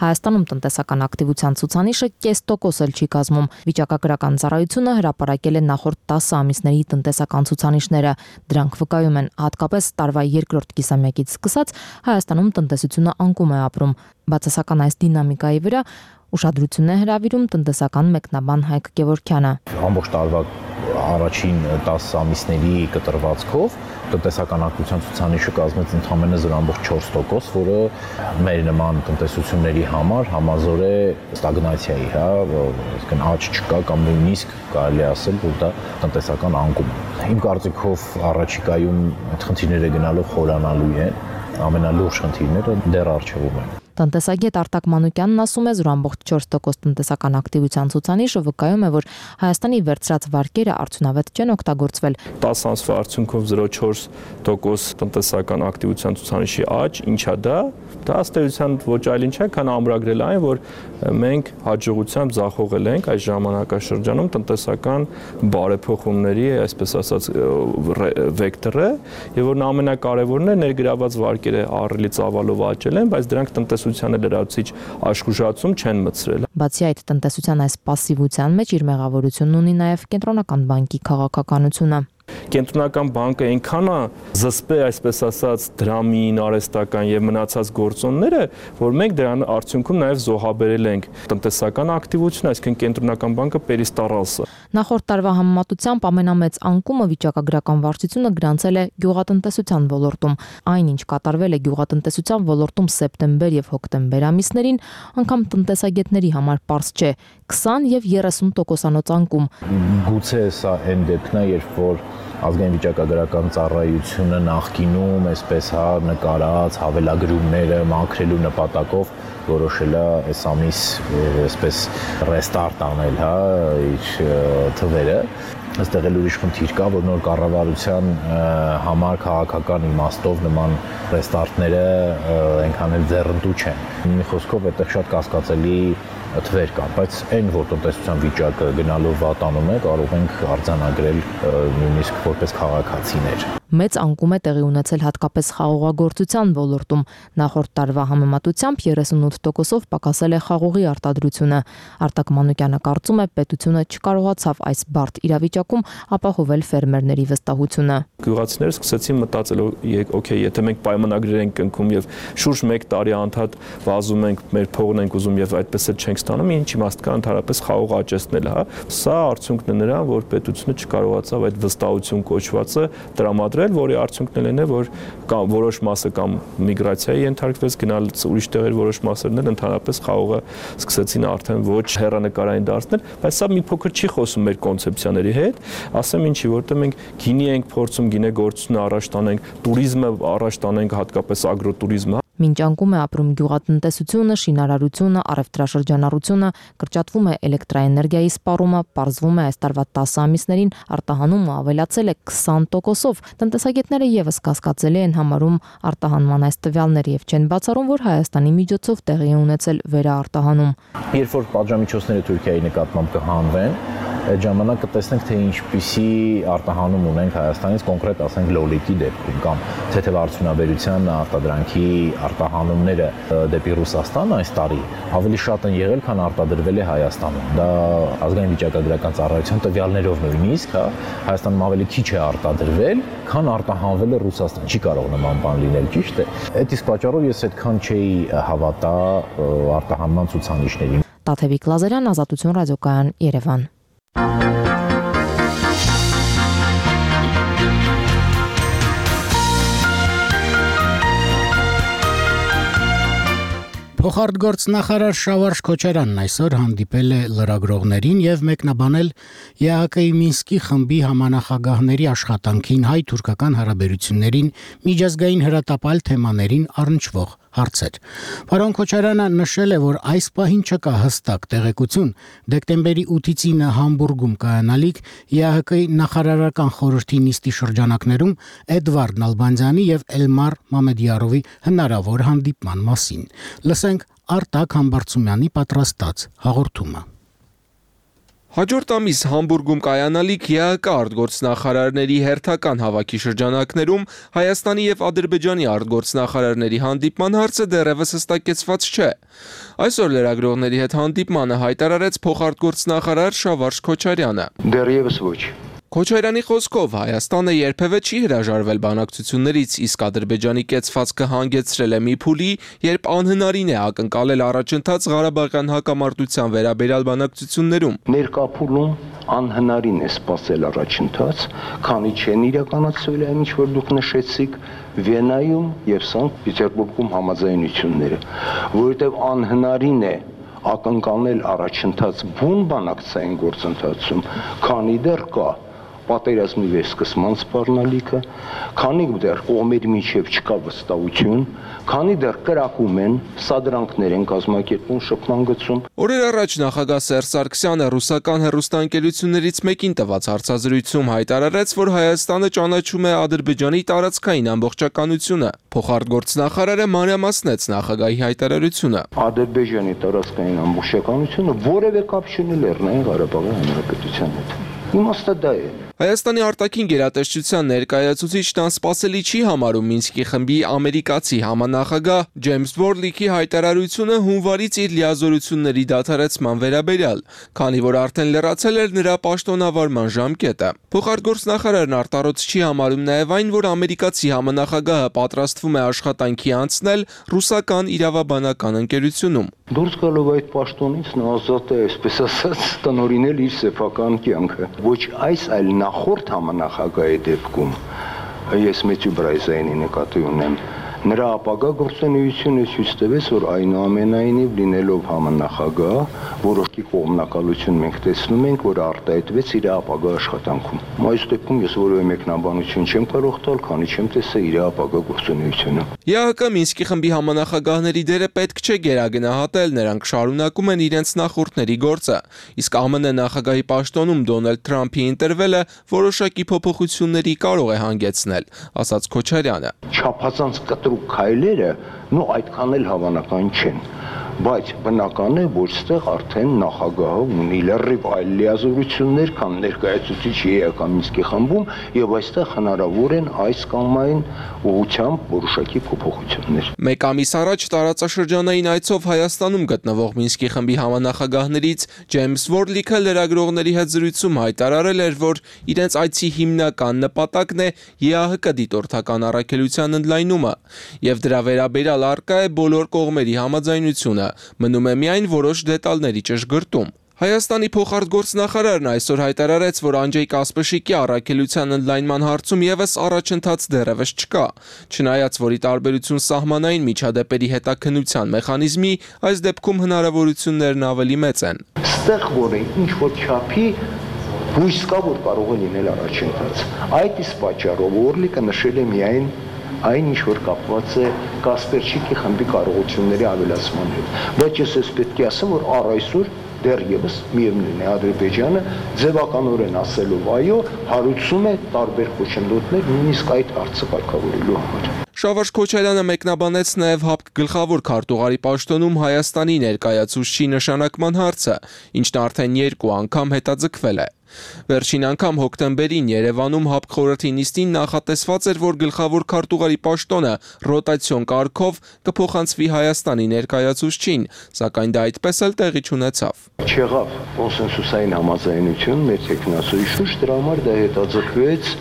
Հայաստանում տնտեսական ակտիվության ցուցանիշը կես տոկոս էլ չի կազմում։ Վիճակագրական ծառայությունը հրապարակել է նախորդ տասը ամիսների տնտեսական ցուցանիշները։ Դրանք վկայում են, հատկապես տարվա երկրորդ կիսամյակից սկսած Հայաստանում տնտեսությունը անկում է ապրում։ Բացասական այս դինամիկայի վրա ուշադրություն է հրավիրում տնտեսական մեկնաբան Հայկ Գևորգյանը։ Ամբողջ տարվա առաջին տասը ամիսների կտրվածքով տնտեսական ակտիվության ցուցանիշը կազմեց ընդամենը զրո կόμμα չորս տոկոս, որը մեր նման տնտեսությունների համար համազոր է ստագնացիայի, հա, այսինքն աճ չկա կամ նույնիսկ կարելի ասել, որ դա տնտեսական անկում է։ Իմ կարծիքով առաջիկայում այդ խնդիրները գնալով խորանալու են, ամենալուրջ խնդիրները դեռ առջևում են։ Տնտեսագետ Արտակ Մանուկյանն ասում է, որ ամբողջ չորս տոկոս տնտեսական ակտիվության ցուցանիշը վկայում է, որ Հայաստանի վերցրած վարկերը արդյունավետ չեն օգտագործվել։ տասը ամսվա արդյունքով զրո փոխ չորս տոկոս տնտեսական ակտիվության ցուցանիշի աճ, ինչա դա։ Դա ըստ էության ոչ այլ ինչ է, քան ամրագրել այն, որ մենք հաջողությամբ ձախողել ենք այս ժամանակաշրջանում տնտեսական բարեփոխումների, այսպես ասած, վեկտորը, եւ որ ամենակարևորն է ներգրաված վարկերը ահռելի ծավալով աճել են, բայց դրանք տնտեսությանը լրացուցիչ աշխուժացում չեն մտցրել։ Բացի այդ, տնտեսության այս пассивության մեջ իր մեղավորությունն ունի նաև Կենտրոնական բանկի քաղաքականությունը։ Կենտրոնական բանկը այնքան է զսպել, այսպես ասած, դրամին, արհեստական եւ մնացած գործոնները, որ մենք դրան արդյունքում նաեւ զոհաբերել ենք տնտեսական ակտիվությունը, այսինքն Կենտրոնական բանկը պերիստարալսը։ Նախորդ տարվա համեմատությամբ ամենամեծ անկումը վիճակագրական վարչությունը գրանցել է գյուղատնտեսության ոլորտում։ Այն, ինչ կատարվել է գյուղատնտեսության ոլորտում սեպտեմբեր եւ հոկտեմբեր ամիսներին, անգամ տնտեսագետների համար պարզ չէ՝ քսան եւ երեսուն տոկոսանոց անկում։ Գուցե սա այն դեպքն է, երբ որ ազգային վիճակագրական ծառայությունը նախկինում այսպես հա նկարած հավելագրումները մաքրելու նպատակով որոշել է այս ամիս այսպես ռեստարտ անել հա իր թվերը, այստեղ էլ ուրիշ խնդիր կա, որ նոր կառավարության համար քաղաքական իմաստով նման ռեստարտները այնքան էլ ձեռնտու չեն։ Մի խոսքով այդտեղ շատ կասկածելի թվեր կան, բայց այն որ տնտեսության վիճակը գնալով վատանում է, կարող ենք արձանագրել նույնիսկ որպես քաղաքացիներ։ Մեծ անկում է տեղի ունեցել հատկապես խաղողագործության ոլորտում։ Նախորդ տարվա համեմատությամբ երեսունութ տոկոսով պակասել է խաղողի արտադրությունը։ Արտակ Մանուկյանը կարծում է, պետությունը չկարողացավ այս բարդ իրավիճակում ապահովել ֆերմերների վստահությունը։ Գյուղացիները սկսեցին մտածել, օքեյ, եթե մենք պայմանագրեր ենք կնքում եւ շուրջ մեկ տարի անդադ վազում ենք, մեր փողն ենք ուզում եւ այդպես էլ չենք ստանում, ինչ իմաստ կա ընդհանրապես խաղող աճեցնել, հա։ Սա արդյունքն է նրան, որ պետությունը չկարողացավ այդ վստահություն կոչվածը տրամադրել, որի արդյունքն էլ է, որ կամ որոշ մասը կամ միգրացիայի ենթարկվեց, գնալ ուրիշ տեղեր որոշ մասերն էլ ընդհանրապես խաղողը սկսեցին արդեն ոչ հեռանկարային դարձնել, բայց սա մի փոքր չի խոսում մեր կոնցեպցիաների հետ, ասեմ ինչի, որտեղ մենք գինի ենք փորձում, գինեգործությունը առաջ տանենք, туриզմը առաջ տանենք, հատկապես ագրոտուրիզմը։ Մինչ անկում է ապրում գյուղատնտեսությունը, շինարարությունը, առևտրաշրջանառությունը, կրճատվում է էլեկտրաէներգիայի սպառումը, պարզվում է այս տարվա տասը ամիսներին արտահանումը ավելացել է քսան տոկոսով։ Տնտեսագետները եւս կասկածելի են համարում արտահանման այս տվյալները եւ չեն բացառում, որ Հայաստանի միջոցով տեղի է ունեցել վերաարտահանում։ Երբ որ պատժամիջոցները Թուրքիայի նկատմամբ կհանվեն, այդ ժամանակ կտեսնենք, թե ինչպիսի արտահանում ունենք Հայաստանից, կոնկրետ ասենք լոլիկի դեպքում կամ թեթև արդյունաբերության արտադրանքի արտահանումները դեպի Ռուսաստան այս տարի ավելի շատ են եղել, քան արտադրվել է Հայաստանում։ Դա ազգային վիճակագրական ծառայության տվյալներով նույնիսկ, հա, Հայաստանում ավելի քիչ է արտադրվել, քան արտահանվել է Ռուսաստան։ Չի կարող նման բան լինել, ճիշտ է։ Այդ իսկ պատճառով ես այդքան չէի հավատա արտահանման ցուցանիշներին։ Տաթևիկ Լազարյան, Ազատություն ռադիոկայան, Երևան։ Փոխարտգործնախարար Շավարժ Քոչարյանն այսօր հանդիպել է լրագրողներին եւ մեկնաբանել ԵԱՀԿ-ի Մինսկի խմբի համանախագահների աշխատանքին հայ-թուրքական հարաբերություններին միջազգային հրատապալ թեմաներին առնչվող հարցեր։ Պարոն Քոչարյանը նշել է, որ այս պահին չկա հստակ տեղեկություն դեկտեմբերի ութից ինը Համբուրգում կայանալիք ԵԱՀԿ-ի նախարարական խորհրդի նիստի շրջանակներում Էդվարդ Նալբանդյանի եւ Էլմար Մամեդյարովի հնարավոր հանդիպման մասին։ Լսենք Արտակ Համբարձումյանի պատրաստած հաղորդումը։ Հաջորդ ամիս Համբուրգում կայանալիք ԵԱՀԿ արտգործնախարարների հերթական հավաքի շրջանակներում Հայաստանի եւ Ադրբեջանի արտգործնախարարների հանդիպման հարցը դեռևս հստակեցված չէ։ Այսօր լրագրողների հետ հանդիպմանը հայտարարեց փոխարտգործնախարար Շավարժ Քոչարյանը։ Դեռևս ոչ։ Քոչարյանի խոսքով Հայաստանը երբևէ չի հրաժարվել բանակցություններից, իսկ Ադրբեջանի կեցվածքը հանգեցրել է մի փուլի, երբ անհնարին է ակնկալել առաջընթաց Ղարաբաղյան հակամարտության վերաբերյալ բանակցություններում։ Ներկա փուլում անհնարին է սպասել առաջընթաց, քանի չեն իրականացվել այն, ինչ որ դուք նշեցիք, Վիեննայում եւ Սանկտ Պետերբուրգում համաձայնությունները, որովհետեւ անհնարին է ակնկալել առաջընթաց բուն բանակցային գործընթացում, քանի դեռ կա պատերազմի վերսկսման սպառնալիքը, քանի դեռ կողմերի միջև չկա վստահություն, քանի դեռ կրակում են, սադրանքներ են կազմակերպում շփման գծում։ Օրեր առաջ նախագահ Սերժ Սարգսյանը ռուսական հեռուստաընկերություններից մեկին տված հարցազրույցում հայտարարեց, որ Հայաստանը ճանաչում է Ադրբեջանի տարածքային ամբողջականությունը։ Փոխարտգործնախարարը մանրամասնեց նախագահի հայտարարությունը։ Ադրբեջանի տարածքային ամբողջականությունը որևէ կապ չունի Լեռնային Ղարաբաղի Հանրապետության հետ։ Իմաստը դա է։ Հայաստանի արտաքին գերատեսչության ներկայացուցիչն անսպասելի չի համարում Մինսկի խմբի ամերիկացի համանախագահ Ջեյմս Բորլիքի հայտարարությունը հունվարից իր լիազորությունների դադարեցման վերաբերյալ, քանի որ արդեն լրացել էր նրա պաշտոնավարման ժամկետը։ Փոխարտգործնախարարն արտառոց չի համարում նաև այն, որ ամերիկացի համանախագահը պատրաստվում է աշխատանքի անցնել ռուսական իրավաբանական ընկերությունում։ Դուրս գալով այդ պաշտոնից նա ազատ է, այսպես ասած, տնօրինել իր սեփական կյանքը։ Ոչ այս, այլ նախորդ համանախագահի դեպքում ես Մեթյու Բրայզայինի նկատի ունեմ։ Նրա ապագա գործունեությունը ցույց տվեց, որ այնուամենայնիվ լինելով համանախագահ, որոշակի կողմնակալություն մենք տեսնում ենք, որ արտահայտվեց իր ապագա աշխատանքում։ Այս դեպքում ես որևէ մեկնաբանություն չեմ կարող տալ, քանի չեմ տեսել իր ապագա գործունեությունը։ ԵԱՀԿ Մինսկի խմբի համանախագահների դերը պետք չէ գերագնահատել, նրանք շարունակում են իրենց նախորդների գործը։ Իսկ ԱՄՆ նախագահի պաշտոնում Դոնալդ Թրամփի ընտրվելը որոշակի փոփոխությունների կարող է հանգեցնել, ասաց Քոչարյանը։ Չափազանց կտրուկ քայլերը նո այդքան էլ հավանական չեն, բայց բնական է, որ ստեղ արդեն նախագահը ունի լրիվ այլ լիազորություններ, քան ներկայացուցիչ ԵԱՀԿ Մինսկի խմբում, եւ այստեղ հնարավոր են այս կամ այն ուղղությամբ որոշակի փոփոխություններ։ Մեկ ամիս առաջ տարածաշրջանային այցով Հայաստանում գտնվող Մինսկի խմբի համանախագահներից Ջեյմս Վորլիքը լրագրողների հետ զրույցում հայտարարել էր, որ իրենց այցի հիմնական նպատակն է ԵԱՀԿ դիտորդական առաքելության ընդլայնումը, եւ դրա վերաբերյալ առկա է բոլոր կողմերի համաձայնությունը, մնում է միայն որոշ դետալների ճշգրտում։ Հայաստանի փոխարտգործնախարարն այսօր հայտարարեց, որ Անջեյ Կասպշիկի առաքելության ընդլայնման հարցում եւս առաջընթաց դեռևս չկա, չնայած որի տարբերություն սահմանային միջադեպերի հետաքննության մեխանիզմի, այս դեպքում հնարավորություններն ավելի մեծ են։ Ստեղ որ է ինչ որ չափի հույս կա, որ կարող է լինել առաջընթաց։ Այդ իսկ պատճառով Օրլիկը նշել է միայն այն ինչ որ կապված է Կասպերչիկի խմբի կարողությունների ավելացման հետ։ Բայց ես ես պետք է ասեմ, որ առ այսօր դեռևս միևնույն է Ադրբեջանը ձևականորեն ասելով այո, հարուցում է տարբեր խոչընդոտներ նույնիսկ այդ հարցը կարգավորելու համար։ Շավարժ Քոչարյանը մեկնաբանեց նաև ՀԱՊԿ գլխավոր քարտուղարի պաշտոնում Հայաստանի ներկայացուցչի նշանակման հարցը, ինչն արդեն երկու անգամ հետաձգվել է։ Վերջին անգամ հոկտեմբերին Երևանում ՀԱՊԿ խորհրդի նիստին նախատեսված էր, որ գլխավոր քարտուղարի պաշտոնը ռոտացիոն կարգով կփոխանցվի Հայաստանի ներկայացուցչին, սակայն դա այդպես էլ տեղի չունեցավ։ Չեղավ կոնսենսուսային համաձայնություն մեր տեխնասոյի շուրջ, դրա համար դա հետաձգվեց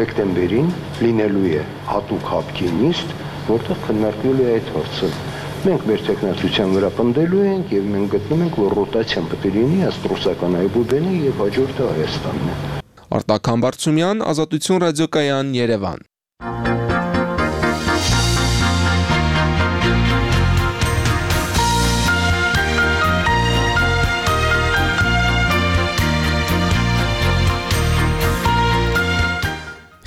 դեկտեմբերին, լինելու է հատուկ ՀԱՊԿ-ի նիստ, որտեղ քննարկվելու է այդ հարցը։ Մենք մեր տեխնացության վրա պնդելու ենք եւ մենք գտնում ենք, որ ռոտացիան պետք է լինի աստրոսական Այբուբենը եւ հաջորդը Հայաստանն է։ Արտակ Համբարձումյան, Ազատություն ռադիոկայան, Երևան։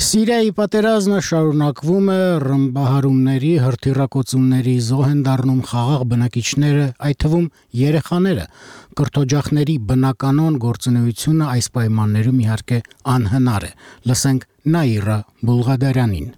Սիրիայի պատերազմը շարունակվում է, ռմբահարումների, հրթիռակոծումների զոհ են դառնում խաղաղ բնակիչները, այդ թվում երեխաները։ Կրթօջախների բնականոն գործունեությունը այս պայմաններում իհարկե անհնար է։ Լսենք Նաիրա Բուլղադարյանին։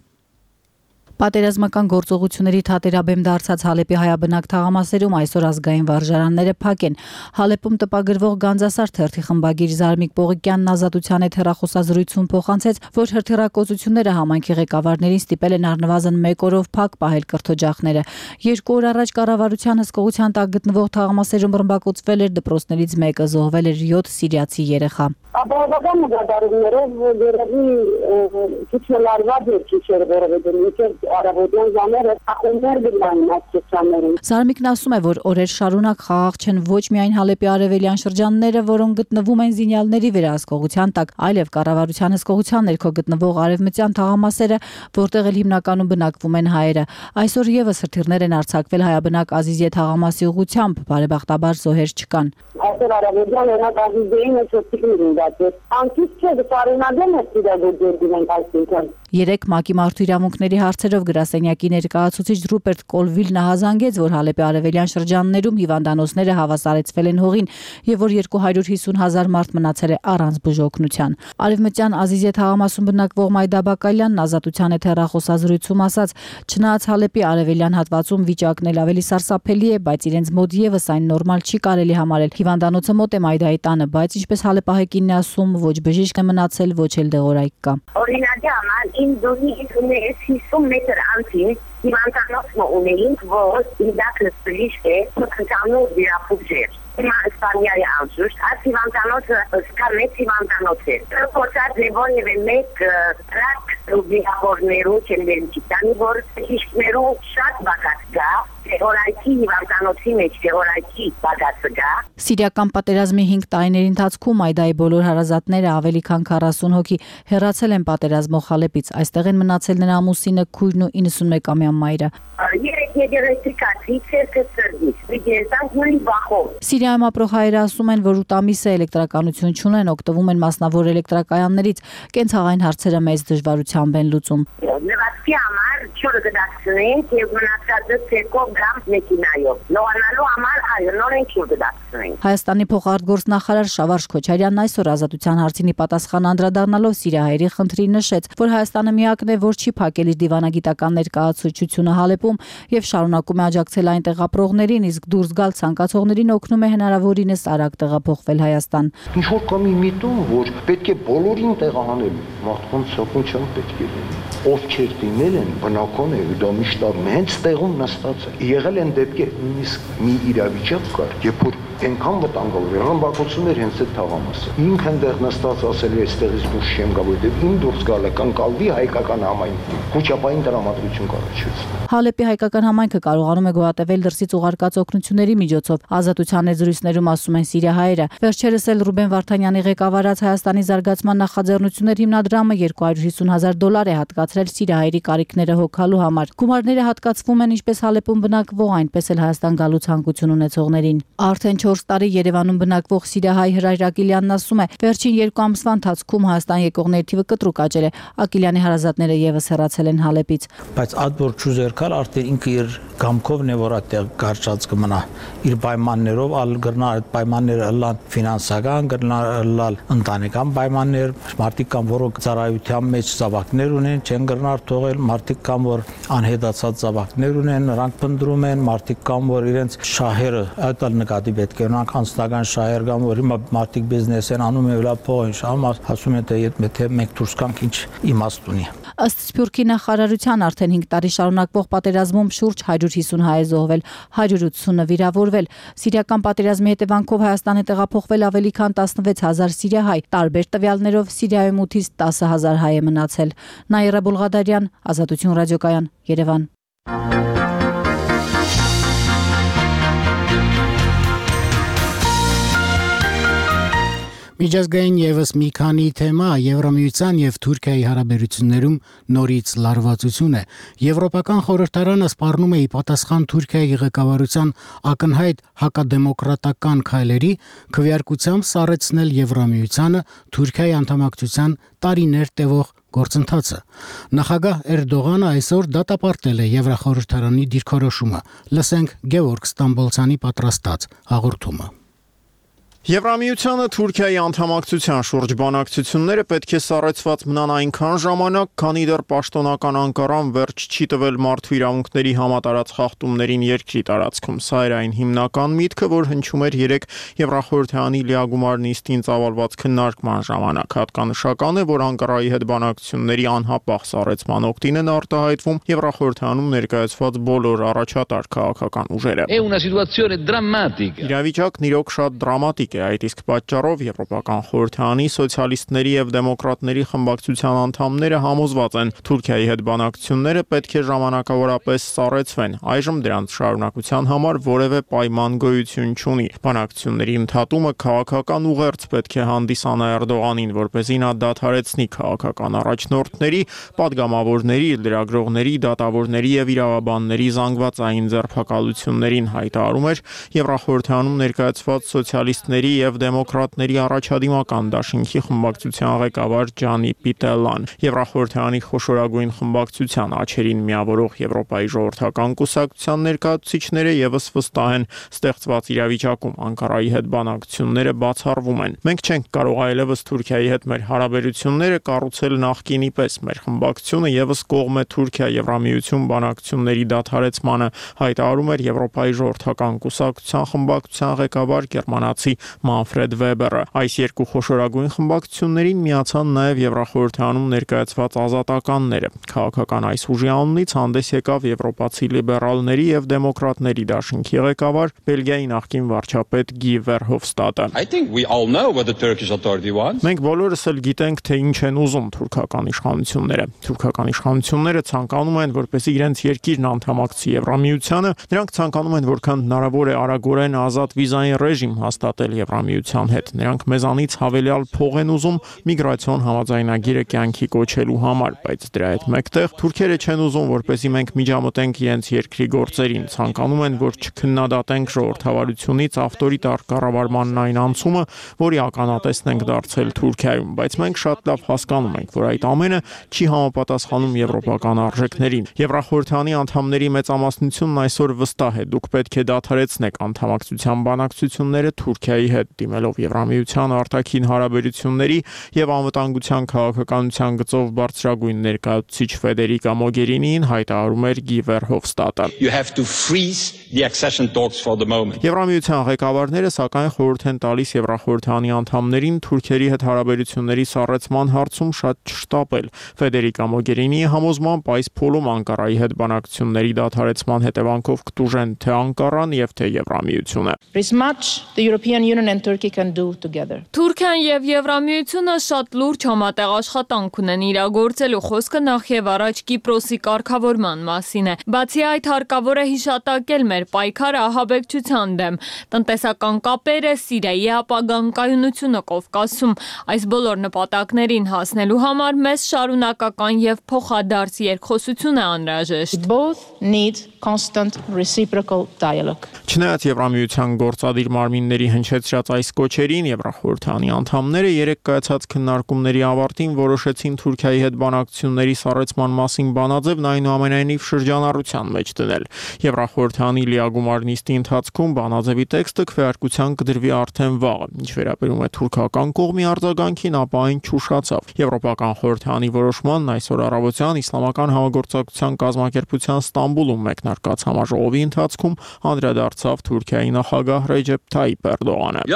Պատերազմական գործողությունների թատերաբեմ դարձած Հալեպի հայաբնակ թաղամասերում այսօր ազգային վարժարանները փակ են։ Հալեպում տպագրվող Գանձասար թերթի խմբագիր Զարմիկ Պողիկյանն Ազատության հետ հեռախոսազրույցում փոխանցեց, որ հրթիռակոծությունները համայնքի ղեկավարներին ստիպել են առնվազն մեկ օրով փակ պահել կրթօջախները։ Երկու օր առաջ կառավարության հսկողության տակ գտնվող թաղամասերում ռմբակոծվել էր դպրոցներից մեկը, զոհվել էր յոթ սիրիացի երեխա։ Ապահովական նկատառումներով երևի քիչ լարված էր քիչ էր որովհետեւ արաբոդյան ժամերը ախոներ գնան մասշտաբներում։ Զարմիկն ասում է, որ օրեր շարունակ խաղաղ չեն ոչ միայն Հալեպի արևելյան շրջանները, որոնք գտնվում են զինյալների վերահսկողության տակ, այլև կառավարության հսկողության ներքո գտնվող արևմտյան թաղամասերը, որտեղ էլ հիմնականում բնակվում են հայերը։ Այսօր եւս հրթիռներ են արձակվել հայաբնակ Ազիզիե թաղամասի ուղղությամբ, բարեբախտաբար զոհեր չկան։ այսօր Արաբոդյան օրինակ Ազիզեին ոչոքին ունեցել։ Անկից չէ դարինադեմ է ստիգագործել դինենք այսինքն։ Երեք ՄԱԿ-ի մարդու իրավունքների հարցերով գրասենյակի ներկայացուցիչ Ռուպերտ Կոլվիլն հազանգեց, որ Հալեպի արևելյան շրջաններում հիվանդանոցները հավասարեցվել են հողին եւ որ երկու հարյուր հիսուն հազար մարդ մնացել է առանց բուժօգնության։ Արևմտյան Ազիզե թաղամասում բնակվող Մայդա Բակալյանն Ազատության հետ հեռախոսազրույցում ասաց, չնայած Հալեպի արևելյան հատվածում վիճակն էլ ավելի սարսափելի է, բայց իրենց մոտ եւս այն նորմալ չի կարելի համարել։ Հիվանդանոցը մոտ է Մայդայի տանը, բայց ինչպես հալեպահայկինն է ասում, ոչ բժիշկ է մնացել, ոչ էլ դեղորայք կա։ Օրինակի համար իմ դուրի ունես հիսուն մետր անցին հիվանդանոցն ունեինք, որ ինդակը սպրիշտ է, մտքանով վիրապուժեր։ Հիմա Իսպանիայի անցուշտ, այս հիվանդանոցը սկա մեծ հիվանդանոց է։ Պորտած լևոն և մեկ տրակ վիրավորներու չենվերին չիտանի, որ հիշկներու շատ բակած գա, Օրայքի հիվանդանոցի մեջ օրայքի բաղացը գա։ Սիրիական պատերազմի հինգ տարիների ընթացքում Այդայի բոլոր հարազատները ավելի քան քառասուն հոգի հեռացել են պատերազմող Հալեպից։ Այստեղ են մնացել նրա ամուսինը, քույրն ու իննսունմեկամյա մայրը։ Երեք եգերեստիկացի ցերկը սրդից, վիգերտանք նույն բախով։ Սիրիայում ապրող հայերը ասում են, որ ութ ամիսը էլեկտրականություն չունեն, օգտվում են մասնավոր էլեկտրակայաններից, կենցաղային հարցերը մեծ դժվարությամբ են լուծում։ Լվացքի համար ջուրը գդակցնենք եւ մնացածը ցերկով գամ մեքենայով։ Լոանալու համար այո նորեն ջուր գդակցնենք։ Հայաստանի փոխարտգործնախարար Շավարժ Քոչարյանն այսօր Ազատության հարցին պատասխան անդրադառնալով սիրիահայերի խնդրին նշեց, որ Հայաստանը միակն է, որ չի փակել իր դիվանագիտական ներկայացուցչությունը Հալեպում եւ շարունակում է աջակցել այնտեղ ապրողներին, իսկ դուրս գալ ցանկացողներին օգնում է հնարավորինս արագ տեղափոխվել Հայաստան։ Ինչ որ կա մի միտում, որ պետք է բոլորին տեղահանել, մարդկանց սակայն չեն պետք է լինի։ Ովքեր դիմել են, բնական է, դա միշտ հենց տեղում նստած է։ Եղել են դեպքեր, նույնիսկ մի իրավիճակ կար, երբ որ այնքան վտանգավոր եղան բակոծություններ հենց այդ թաղամասը։ Ինքն այնտեղ նստած ասել է, այստեղից դուրս չեմ գա, որովհետև իմ դուրս գալը կանգալվի հայկական համայնքի։ Խոչապային տրամադրություն կառաջացվի։ Հալեպի հայկական համայնքը կարողանում է գոհատևել դրսից ուղարկած օգնությունների միջոցով։ Ազատության զրույցներում ասում են սիրիահայերը։ Վերջերս էլ Ռուբեն Վարդանյանի ղեկավարած Հայաստանի զարգացման նախաձեռնություններ հիմնադրամը երկու հարյուր հիսուն հազար դոլար է հատկացրել սիրիահայերի կարիքները հոգալու համար։ Գումարները հատկացվում են ինչպես Հալեպում բնակվող, այնպես էլ Հայաստան գալու ցանկություն ունեցողներին։ Արդեն չորս տարի Երևանում բնակվող սիրիահայ Հրայր Ակիլյանն ասում է, վերջին երկու ամսվա ընթացքում Հայաստան եկողների թիվը կտրուկ աճել է։ Ակիլյանի հարազատները եւս հեռացել են Հալեպից։ Բայց այդ որ չուզերքալ արդեն ինքը իր գամքովն է որ այդտեղ գարշած կմնա իր պայմաններով, ալ գրնա այդ պայմանները լան ֆինանսական, գրնա լալ ընտանեկան պայմաններ, մարդիկ կան, որոնք ծառայության մեջ զավակներ ունեն, չեն գրնար թողել, մարդիկ կան, որ անհետացած զավակներ ունեն, նրանք փնտրում են, մարդիկ կան, որ իրենց շահերը այդ ալ նկատի պետք է ունենան, անձնական շահեր կան, որ հիմա մարդիկ բիզնես են անում եւ լա փող են շահում, ասում են թե եթե մենք դուրս գանք ինչ իմաստ ունի։ Ըստ Սփյուռքի նախարարության արդեն հինգ տարի շարունակվող պատերազմում շուրջ հարյուր հիսուն հայ է զոհվել, հարյուր ութսունը վիրավորվել։ Սիրիական պատերազմի հետևանքով Հայաստան է տեղափոխվել ավելի քան տասնվեց հազար սիրիահայ, տարբեր տվյալներով Սիրիայում ութից տասը հազար հայ է մնացել։ Նաիրա Բուլղադարյան, Ազատություն ռադիոկայան, Երևան։ Միջազգային եւս մի քանի թեմա Եվրամիության եւ Թուրքիայի հարաբերություններում նորից լարվածություն է։ Եվրոպական խորհրդարանը սպառնում է ի պատասխան Թուրքիայի ղեկավարության ակնհայտ հակադեմոկրատական քայլերի քվեարկությամբ սառեցնել Եվրամիությանը Թուրքիայի անդամակցության տարիներ տևող գործընթացը։ Նախագահ Էրդողանը այսօր դատապարտել է Եվրախորհրդարանի դիրքորոշումը։ Լսենք Գևորգ Ստամբոլցյանի պատրաստած հաղորդումը։ Եվրամիությանը Թուրքիայի անդամակցության շուրջ բանակցությունները պետք է սառեցված մնան այնքան ժամանակ, քանի դեռ պաշտոնական Անկարան վերջ չի տվել մարդու իրավունքների համատարած խախտումներին երկրի տարածքում։ Սա էր այն հիմնական միտքը, որ հնչում էր երեք Եվրախորհրդարանի լիագումար նիստին ծավալված քննարկման ժամանակ։ Հատկանշական է, որ Անկարայի հետ բանակցությունների անհապաղ սառեցման օգտին են արտահայտվում Եվրախորհրդարանում ներկայացված բոլոր առաջատար քաղաքական ուժերը։ Իրավիճակն իրոք շատ դրամատիկ է, այդ իսկ պատճառով Եվրոպական խորհրդարանի սոցիալիստների եւ դեմոկրատների խմբակցության անդամները համոզված են, Թուրքիայի հետ բանակցությունները պետք է ժամանակավորապես սառեցվեն։ Այժմ դրանց շարունակության համար որևէ պայման գոյություն չունի։ Բանակցությունների ընդհատումը քաղաքական ուղերձ պետք է հանդիսանա Էրդողանին, որպեսզի նա դադարեցնի քաղաքական առաջնորդների, падգամավորների, լրագրողների, դատավորների եւ իրավաբանների զանգվածային ձերբակալություններին, հայտարարում էր Եվրախորհրդարանում ներկայացված սոցիալիստների ռեսպուբլիկանների եւ դեմոկրատների առաջադիմական դաշինքի խմբակցության ղեկավար Ջանի Պիտելան։ Եվրախորհրդարանի խոշորագույն խմբակցության աչերին միավորող Եվրոպայի ժողովրդական կուսակցության ներկայացուցիչները եւս վստահ են, ստեղծված իրավիճակում Անկարայի հետ բանակցությունները բացառվում են։ Մենք չենք կարող այլևս Թուրքիայի հետ մեր հարաբերությունները կառուցել նախկինի պես։ Մեր խմբակցությունը եւս կողմ է Թուրքիա-Եվրամիություն բանակցությունների դադարեցմանը, հայտարարում էր Եվրոպայի ժողովրդական կուսակցության խմբակցության ղեկավար գերմանացի Մանֆրեդ Վեբերը։ Այս երկու խոշորագույն խմբակցություններին միացան նաև Եվրախորհրդանում ներկայացված ազատականները։ Քաղաքական այս ուժի անունից հանդես եկավ եվրոպացի լիբերալների եւ դեմոկրատների դաշինքի ղեկավար Բելգիայի նախկին վարչապետ Գի Վերհոֆստադը։ Մենք բոլորս էլ գիտենք, թե ինչ են ուզում թուրքական իշխանությունները։ Թուրքական իշխանությունները ցանկանում են, որպեսզի իրենց երկիրն անդամակցի Եվրամիությանը, նրանք ցանկանում են, որքան հնարավոր է արագորեն ազատ վիզային ռեժիմ հաստատել Եվրամիության հետ։ Նրանք մեզանից հավելյալ փող են ուզում միգրացիոն համաձայնագիրը կյանքի կոչելու համար, բայց դրա հետ մեկտեղ թուրքերը չեն ուզում, որպեսզի մենք միջամտենք իրենց երկրի գործերին, ցանկանում են, որ չքննադատենք ժողովրդավարությունից ավտորիտար կառավարմանն այն անցումը, որի ականատեսն ենք դարձել Թուրքիայում, բայց մենք շատ լավ հասկանում ենք, որ այդ ամենը չի համապատասխանում եվրոպական արժեքներին։ Եվրախորհրդանի անդամների մեծամասնությունն այսօր վստահ է, դուք պետք է դադարեցնեք անդամակցության բանակցությունները Թուրքիայի հետ, դիմելով Եվրամիության արտաքին հարաբերությունների եւ անվտանգության քաղաքականության գծով բարձրագույն ներկայացուցիչ Ֆեդերիկա Մոգերինին հայտարարում էր Գի Վերհոֆստադը։ Եվրամիության ղեկավարները սակայն խորհուրդ են տալիս Եվրախորհրդանի անդամներին Թուրքիայի հետ հարաբերությունների սառեցման հարցում շատ չշտապել։ Ֆեդերիկա Մոգերինիի համոզմամբ այս փուլում Անկարայի հետ բանակցությունների դադարեցման հետևանքով կտուժեն թե Անկարան եւ թե Եվրամիությունը։ Թուրքիան եւ Եվրամիությունը շատ լուրջ համատեղ աշխատանք ունեն իրագործելու, խոսքը նախ եւ առաջ Կիպրոսի կարգավորման մասին է։ Բացի այդ, հարկավոր է հիշատակել մեր պայքարը ահաբեկչության դեմ, տնտեսական կապերը, Սիրիայի ապագան կայունությունը Կովկասում։ Այս բոլոր նպատակներին հասնելու համար մեզ շարունակական եւ փոխադարձ երկխոսություն է անհրաժեշտ։ Չնայած Եվրամիության գործադիր մարմինների հնչեցրած այս կոչերին, Եվրախորհրդանի անդամները երեք կայացած քննարկումների ավարտին որոշեցին Թուրքիայի հետ բանակցությունների սառեցման մասին բանաձևն այնուամենայնիվ շրջանառության մեջ դնել։ Եվրախորհրդանի լիագումար նիստի ընթացքում բանաձևի տեքստը քվեարկության կդրվի արդեն վաղը։ Ինչ վերաբերում է թուրքական կողմի արձագանքին, ապա այն չուշացավ։ Եվրոպական խորհրդանի որոշմանն այսօր առավոտյան Իսլամական համագործակցության կազմակերպության Ստամբուլում մեկնարկած համաժողովի ընթացքում անդրադարձավ Թուրքիայի նախագահ Ռեջեփ Թայիփ Էրդողանը։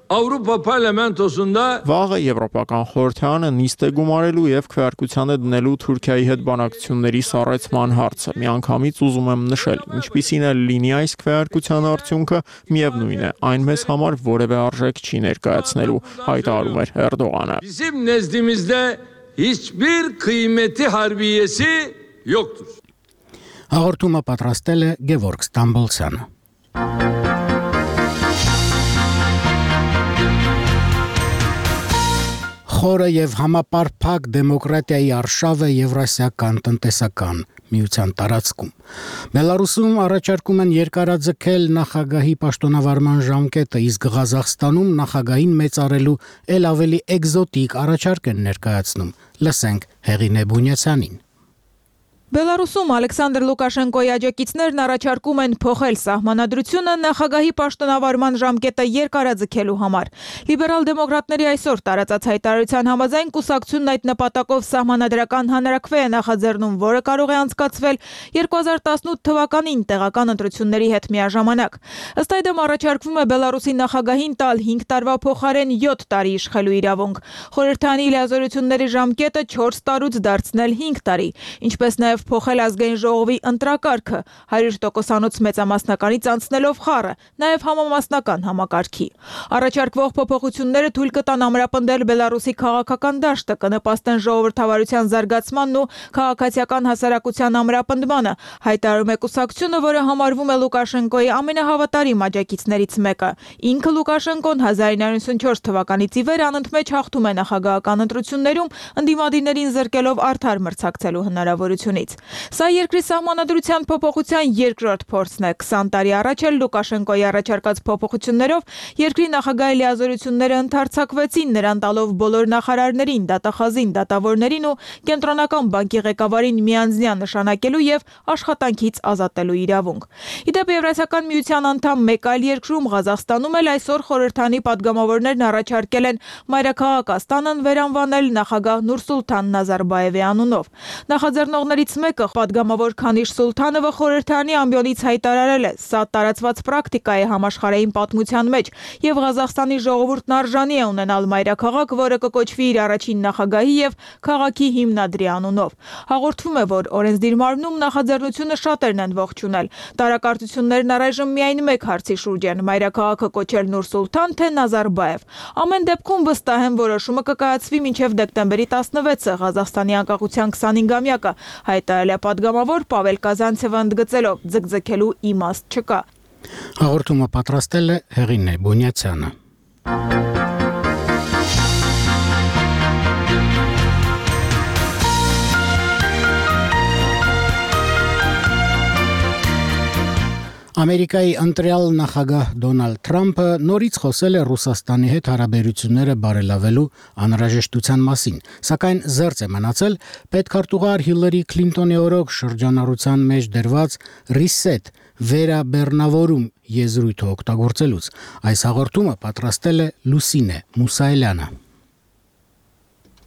Avrupa Parlamentosu'nda Վաղը Եվրոպական խորհրդարանը նիստ է գումարելու եւ քվեարկությանը դնելու Թուրքիայի հետ բանակցությունների սառեցման հարցը։ Միանգամից ուզում եմ նշել, ինչպիսին է լինի այս քվեարկության արդյունքը, միևնույն է, այն մեզ համար որևէ արժեք չի ներկայացնելու, հայտարարում էր Էրդողանը։ Bizim nezdimizde hiçbir kıymeti harbiyesi yoktur. Հաղորդումը պատրաստել է Գևորգ Ստամբոլցյանը։ Խորը եւ համապարփակ դեմոկրատիայի արշավ է Եվրասիական տնտեսական միության տարածքում։ Բելարուսում առաջարկում են երկարաձգել նախագահի պաշտոնավարման ժամկետը, իսկ Ղազախստանում նախագահին մեծարելու ել ավելի էկզոտիկ առաջարկ են ներկայացնում։ Լսենք Հեղինե Բունյացյանին։ Բելարուսում Ալեքսանդր Լուկաշենկոյի աջակիցներն առաջարկում են փոխել սահմանադրությունը նախագահի պաշտոնավարման ժամկետը երկարաձգելու համար։ Լիբերալ դեմոկրատների այսօր տարածած հայտարարության համաձայն կուսակցությունն այդ նպատակով սահմանադրական հանրաքվե է նախաձեռնում, որը կարող է անցկացվել երկու հազար տասնութ թվականին տեղական ընտրությունների հետ միաժամանակ։ Ըստ այդմ առաջարկվում է Բելարուսի նախագահին տալ հինգ տարվա փոխարեն յոթ տարի իշխելու իրավունք։ Խորհրդանի լիազորությունների ժամկետը չորս տարուց դարձնել հինգ տարի, ինչպես նաև փոխել ազգային ժողովի ընտրակարգը հարյուր տոկոսանոց մեծամասնականից անցնելով խառը, նաև համամասնական համակարգի։ Առաջարկվող փոփոխությունները թույլ կտան ամրապնդել Բելարուսի քաղաքական դաշտը, կնպաստեն ժողովրդավարության զարգացմանն ու քաղաքացիական հասարակության ամրապնդմանը, հայտարարում է կուսակցությունը, որը համարվում է Լուկաշենկոյի ամենահավատարիմ աջակիցներից մեկը։ Ինքը Լուկաշենկոն հազար իննսուն ութ թվականից ի վեր անընդմեջ հաղթում է նախագահական ընտրություններում, ընդդիմադիրներին զրկելով արդար մրցակցելու հնարավորությունից։ կողմից։ Սա երկրի սահմանադրության փոփոխության երկրորդ փորձն է։ քսան տարի առաջ էլ Լուկաշենկոյի առաջարկած փոփոխություններով երկրի նախագահի լիազորությունները ընդարձակվեցին, նրան տալով բոլոր նախարարներին, դատախազին, դատավորներին ու կենտրոնական բանկի ղեկավարին միանձնյա նշանակելու եւ աշխատանքից ազատելու իրավունք։ Իդեպ Եվրասիական միության անդամ մեկ այլ երկրում Ղազախստանում էլ այսօր խորհրդանի падգամավորներն առաջարկել են մայրաքաղաք Աստանան վերանվանել նախագահ Նուրսուլթան Նազարբաևի անունով։ Նախաձեռնողներից մեկը падգամավոր Քանիշ Սուլթանովը խորհրդանի ամբիոնից հայտարարել է. «Սա տարածված պրակտիկա է համաշխարհային պատմության մեջ, եւ Ղազախստանի ժողովուրդն արժանի է ունենալ մայրաքաղաք, որը կկոչվի իր առաջին նախագահի եւ քաղաքի հիմնադրի անունով»։ Հաղորդվում է, որ օրենսդիր մարմնում նախաձեռնությունը շատերն են ողջունել։ Տարակարծություններն առայժմ միայն մեկ հարցի շուրջ են՝ մայրաքաղաքը կոչել Նուրսուլթան թե Նազարբաև։ Ամեն դեպքում վստահ եմ, որոշումը կկայացվի մինչև դեկտեմբերի տասնվեցը, Ղազախստանի անկախության քսանհինգամյակը, հայտարարել է падգամավոր Պավել Կազանցևը ընդգծելով՝ ձգձգելու իմաստ չկա։ Հաղորդումը պատրաստել է Հեղինե Բոնյացյանը։ Ամերիկայի ընտրյալ նախագահ Դոնալդ Թրամփը նորից խոսել է Ռուսաստանի հետ հարաբերությունները բարելավելու անհրաժեշտության մասին, սակայն զերծ է մնացել պետքարտուղար Հիլարի Քլինտոնի օրոք շրջանառության մեջ դրված «Reset» վերաբեռնավորում եզրույթը օգտագործելուց։ Այս հաղորդումը պատրաստել է Լուսինե Մուսայելյանը։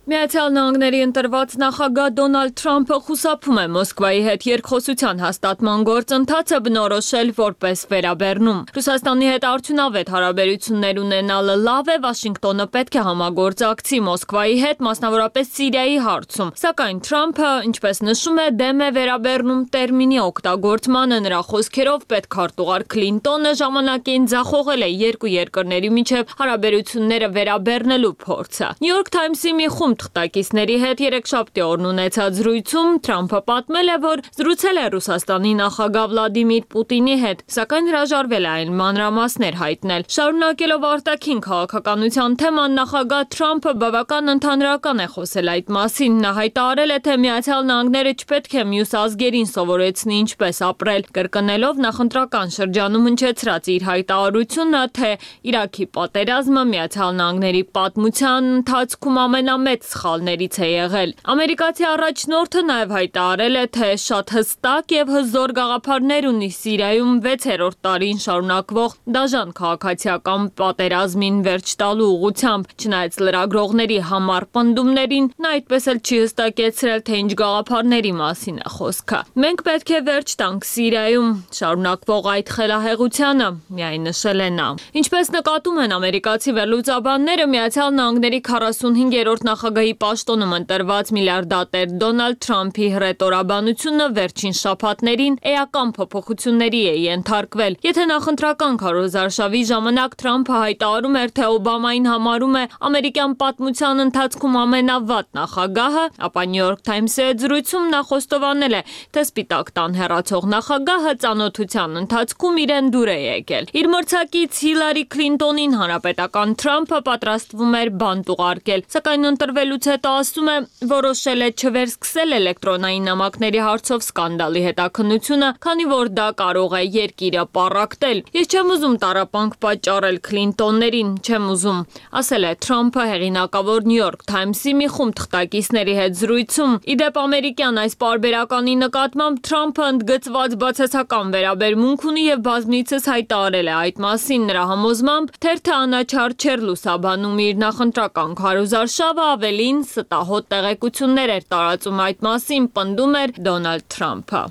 Միացյալ Նահանգների ընտրված նախագահ Դոնալդ Թրամփը խուսափում է Մոսկվայի հետ երկխոսության հաստատման գործընթացը բնորոշել որպես վերաբեռնում։ Ռուսաստանի հետ արդյունավետ հարաբերություններ ունենալը լավ է, Վաշինգտոնը պետք է համագործակցի Մոսկվայի հետ, մասնավորապես Սիրիայի հարցում։ Սակայն Թրամփը, ինչպես նշում է, դեմ է վերաբեռնում տերմինի օգտագործմանը, նրա խոսքերով պետքարտուղար Քլինտոնը ժամանակին ձախողել է երկու երկրների միջև հարաբերությունները վերաբեռնելու փորձը։ New York Times-ի մի խումբ թղթակիցների հետ երեքշաբթի օրն ունեցած զրույցում Թրամփը պատմել է, որ զրուցել է Ռուսաստանի նախագահ Վլադիմիր Պուտինի հետ, սակայն հրաժարվել է այն մանրամասներ հայտնել։ Շարունակելով արտաքին քաղաքականության թեման, նախագահ Թրամփը բավական ընդհանրական է խոսել այդ մասին։ Նա հայտարարել է, թե Միացյալ Նահանգները չպետք է մյուս ազգերին սովորեցնի ինչպես ապրել, կրկնելով նախընտրական շրջանում հնչեցրած իր հայտարարությունը, թե Իրաքի պատերազմը Միացյալ Նահանգների պատմության ընթացքում ամենամեծ սխալներից է եղել։ Ամերիկացի առաջնորդը նաև հայտարարել է, թե շատ հստակ եւ հզոր գաղափարներ ունի Սիրիայում վեցերորդ տարին շարունակվող դաժան քաղաքացիական պատերազմին վերջ տալու ուղղությամբ։ Չնայած լրագրողների համառ պնդումներին, նա այդպես էլ չի հստակեցրել, թե ինչ գաղափարների մասին է խոսքը։ Մենք պետք է վերջ տանք Սիրիայում շարունակվող այդ խելահեղությանը, միայն նշել է նա։ Ինչպես նկատում են ամերիկացի վերլուծաբանները, Միացյալ Նահանգների քառասունհինգերորդ նախագահի պաշտոնում ընտրված միլիարդատեր Դոնալդ Թրամփի հռետորաբանությունը վերջին շաբաթներին էական փոփոխությունների է ենթարկվել։ Եթե նախընտրական քարոզարշավի ժամանակ Թրամփը հայտարարում էր, թե Օբամային համարում է ամերիկյան պատմության ընթացքում ամենավատ նախագահը, ապա New York Times-ի հետ զրույցում նա խոստովանել է, թե Սպիտակ տան հեռացող նախագահը ծանոթության ընթացքում իրեն դուր է եկել։ Իր մրցակից Հիլարի Քլինտոնին հանրապետական Թրամփը պատրաստվում էր բանտ ուղարկել, սակայն ընտրվելուց հետո ասում է, որոշել է չվերսկսել էլեկտրոնային նամակների հարցով սկանդալի հետաքննությունը, քանի որ դա կարող է երկիրը պառակտել։ Ես չեմ ուզում տառապանք պատճառել Քլինտոններին, չեմ ուզում, ասել է Թրամփը հեղինակավոր New York Times-ի մի խումբ թղթակիցների հետ զրույցում։ Իդեպ ամերիկյան այս պարբերականի նկատմամբ Թրամփը ընդգծված բացասական վերաբերմունք ունի եւ բազմիցս հայտարարել է այդ մասին։ Նրա համոզմամբ թերթը անաչառ չէր լուսաբանում իր նախընտրական քարոզարշավը, ավելին ստահոդ տեղեկություններ էր տարածում այդ մասին, պնդում էր Դոնալդ Թրամփը։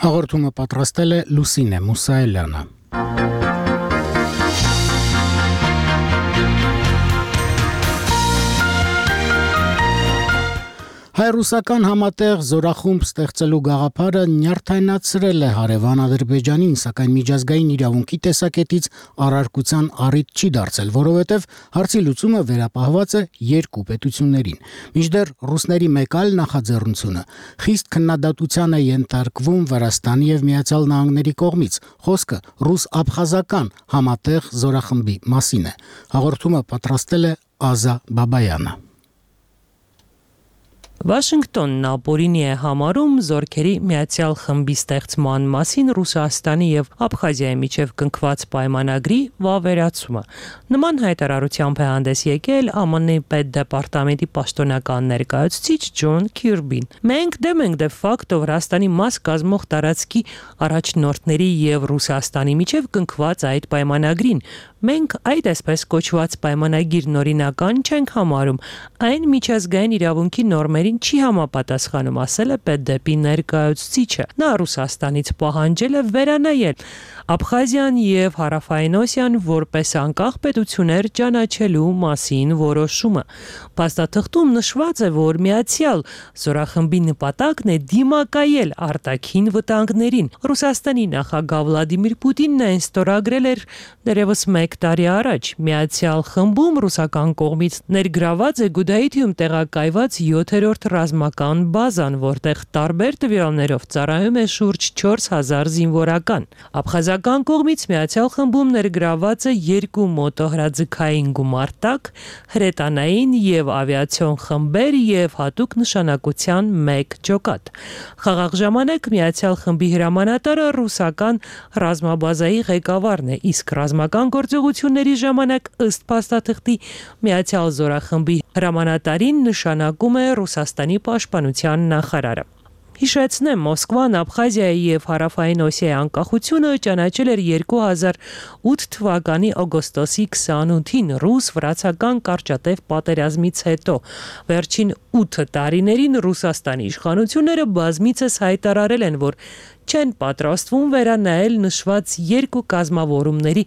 Հաղորդումը պատրաստել է Լուսինե Մուսայելյանը։ Հայ-ռուսական համատեղ զորախումբ ստեղծելու գաղափարը նյարդայնացրել է հարևան Ադրբեջանին, սակայն միջազգային իրավունքի տեսակետից առարկության առիթ չի դարձել, որովհետև հարցի լուծումը վերապահված է երկու պետություններին։ Մինչդեռ ռուսների մեկ այլ նախաձեռնությունը խիստ քննադատության է ենթարկվում Վրաստանի եւ Միացյալ Նահանգների կողմից։ Խոսքը ռուս-աբխազական համատեղ զորախմբի մասին է։ Հաղորդումը պատրաստել է Ազա Բաբայանը։ Վաշինգտոնն ապօրինի է համարում զորքերի միացյալ խմբի ստեղծման մասին Ռուսաստանի եւ Աբխազիայի միջև կնքված պայմանագրի վավերացումը։ Նման հայտարարությամբ է հանդես եկել Է Մ Ն պետդեպարտամենտի պաշտոնական ներկայացուցիչ Ջոն Քիրբին։ Մենք դեմ ենք դե ֆակտո Վրաստանի մաս կազմող տարածքի առաջնորդների եւ Ռուսաստանի միջև կնքված այդ պայմանագրին։ Մենք այդ այսպես կոչված պայմանագիրն օրինական չենք համարում, այն միջազգային իրավունքի նորմերին չի համապատասխանում, ասել է պետդեպի ներկայացուցիչը։ Նա Ռուսաստանից պահանջել է վերանայել Աբխազիան եւ Հարավային Օսիան որպես անկախ պետություններ ճանաչելու մասին որոշումը։ Փաստաթղթում նշված է, որ միացյալ զորախմբի նպատակն է դիմակայել արտաքին վտանգներին։ Ռուսաստանի նախագահ Վլադիմիր Պուտինն այն ստորագրել էր դեռևս մեկ տարի առաջ։ Միացյալ խմբում ռուսական կողմից ներգրաված է Գուդայիթիում տեղակայված յոթերորդ ռազմական բազան, որտեղ տարբեր տվյալներով ծառայում է շուրջ չորս հազար զինվորական։ Աբխազական կողմից միացյալ խմբում ներգրաված է երկու մոտոհրաձգային գումարտակ, հրետանային եւ ավիացիոն խմբեր եւ հատուկ նշանակության մեկ ջոկատ։ Խաղաղ ժամանակ միացյալ խմբի հրամանատարը ռուսական ռազմաբազայի ղեկավարն է, իսկ ռազմական գործողությունների ժամանակ ըստ փաստաթղթի միացյալ զորախմբի հրամանատարին նշանակում է Ռուսաստանի պաշտպանության նախարարը։ Հիշեցնեմ, Մոսկվան Աբխազիայի եւ Հարավային Օսիայի անկախությունը ճանաչել էր երկու հազար ութ թվականի օգոստոսի քսանութին ռուս-վրացական կարճատև պատերազմից հետո։ Վերջին ութ տարիներին Ռուսաստանի իշխանությունները բազմիցս հայտարարել են, որ չեն պատրաստվում վերանայել նշված երկու կազմավորումների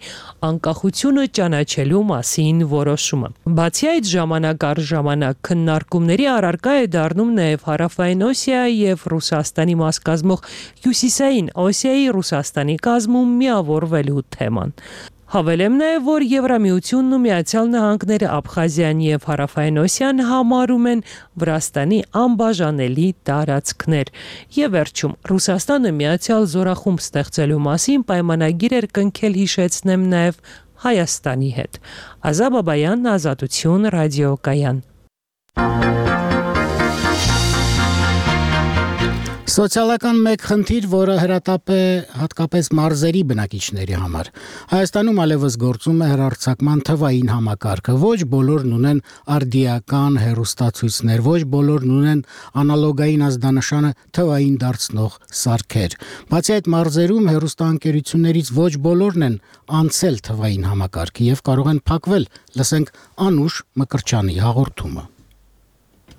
անկախությունը ճանաչելու մասին որոշումը։ Բացի այդ, ժամանակ առ ժամանակ քննարկումների առարկա է դառնում նաև Հարավային Օսիայի եւ Ռուսաստանի մաս կազմող Հյուսիսային Օսիայի Ռուսաստանի կազմում միավորվելու թեման։ Հավելեմ նաև, որ Եվրամիությունն ու Միացյալ Նահանգները Աբխազիան եւ Հարավային Օսիան համարում են Վրաստանի անբաժանելի տարածքներ։ Եվ վերջում Ռուսաստանը Միացյալ զորախումբ ստեղծելու մասին պայմանագիր էր կնքել, հիշեցնեմ նաև Հայաստանի հետ։ Ազա Բաբայան, Ազատություն, ռադիոկայան։ Սոցիալական մեկ խնդիր, որը հրատապ է հատկապես մարզերի բնակիչների համար։ Հայաստանում ալևս գործում է հեռարձակման թվային համակարգը։ Ոչ բոլորն ունեն արդիական հեռուստացույցներ, ոչ բոլորն ունեն անալոգային ազդանշանը թվային դարձնող սարքեր։ Բացի այդ, մարզերում հեռուստաընկերություններից ոչ բոլորն են անցել թվային համակարգը եւ կարող են փակվել։ Լսենք Անուշ Մկրչյանի հաղորդումը։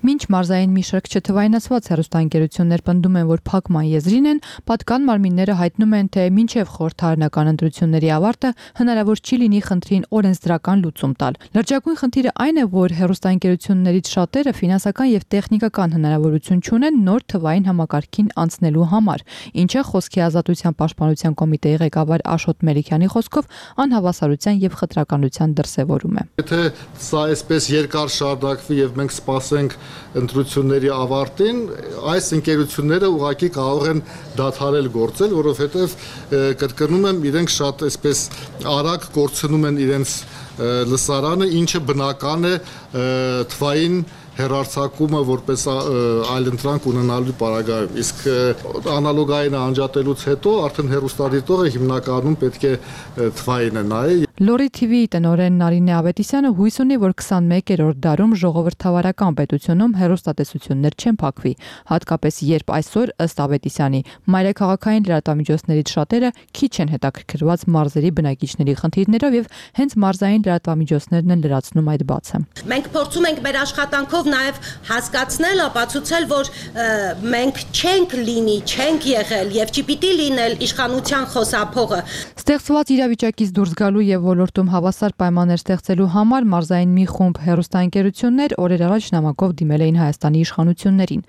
Մինչ մարզային մի շարք չթվայնացված հեռուստաընկերություններ պնդում են, որ փակման եզրին են, պատկան մարմինները հայտնում են, թե մինչև խորհրդարանական ընտրությունների ավարտը հնարավոր չի լինի խնդրին օրենսդրական լուծում տալ։ Լրջագույն խնդիրը այն է, որ հեռուստաընկերություններից շատերը ֆինանսական եւ տեխնիկական հնարավորություն չունեն նոր թվային համակարգին անցնելու համար, ինչը Խոսքի ազատության պաշտպանության կոմիտեի ղեկավար Աշոտ Մելիքյանի խոսքով անհավասարության եւ խտրականության դրսեւորում է։ Եթե սա այսպես երկար շարունակվի եւ մենք սպասենք ընտրությունների ավարտին, այս ընկերությունները ուղղակի կարող են դադարել գործել, որովհետև կրկնում եմ, իրենք շատ այսպես արագ կորցնում են իրենց լսարանը, ինչը բնական է թվային հեռարձակումը որպես այլընտրանք ունենալու պարագայում։ Իսկ անալոգային անջատելուց հետո արդեն հեռուստադիտողը հիմնականում պետք է թվային է նայի։ Լորի թի վի տնօրեն Նարինե Ավետիսյանը հույս ունի, որ քսանմեկերորդ դարում ժողովրդավարական պետությունում հեռուստատեսություններ չեն փակվի, հատկապես երբ այսօր ըստ Ավետիսյանի մայրաքաղաքային լրատվամիջոցներից շատերը քիչ են հետաքրքրված մարզերի բնակիչների խնդիրներով եւ հենց մարզային լրատվամիջոցներն են լրացնում այդ բացը։ Մենք փորձում ենք մեր աշխատանքով նաեւ հասկացնել, ապացուցել, որ մենք չենք լինի, չենք եղել եւ չի պիտի լինել իշխանության խոսափողը։ Ստեղծված իրավիճակից դուրս գալու եւ ոլորտում հավասար պայմաններ ստեղծելու համար մարզային մի խումբ հեռուստաընկերություններ օրեր առաջ նամակով դիմել էին Հայաստանի իշխանություններին։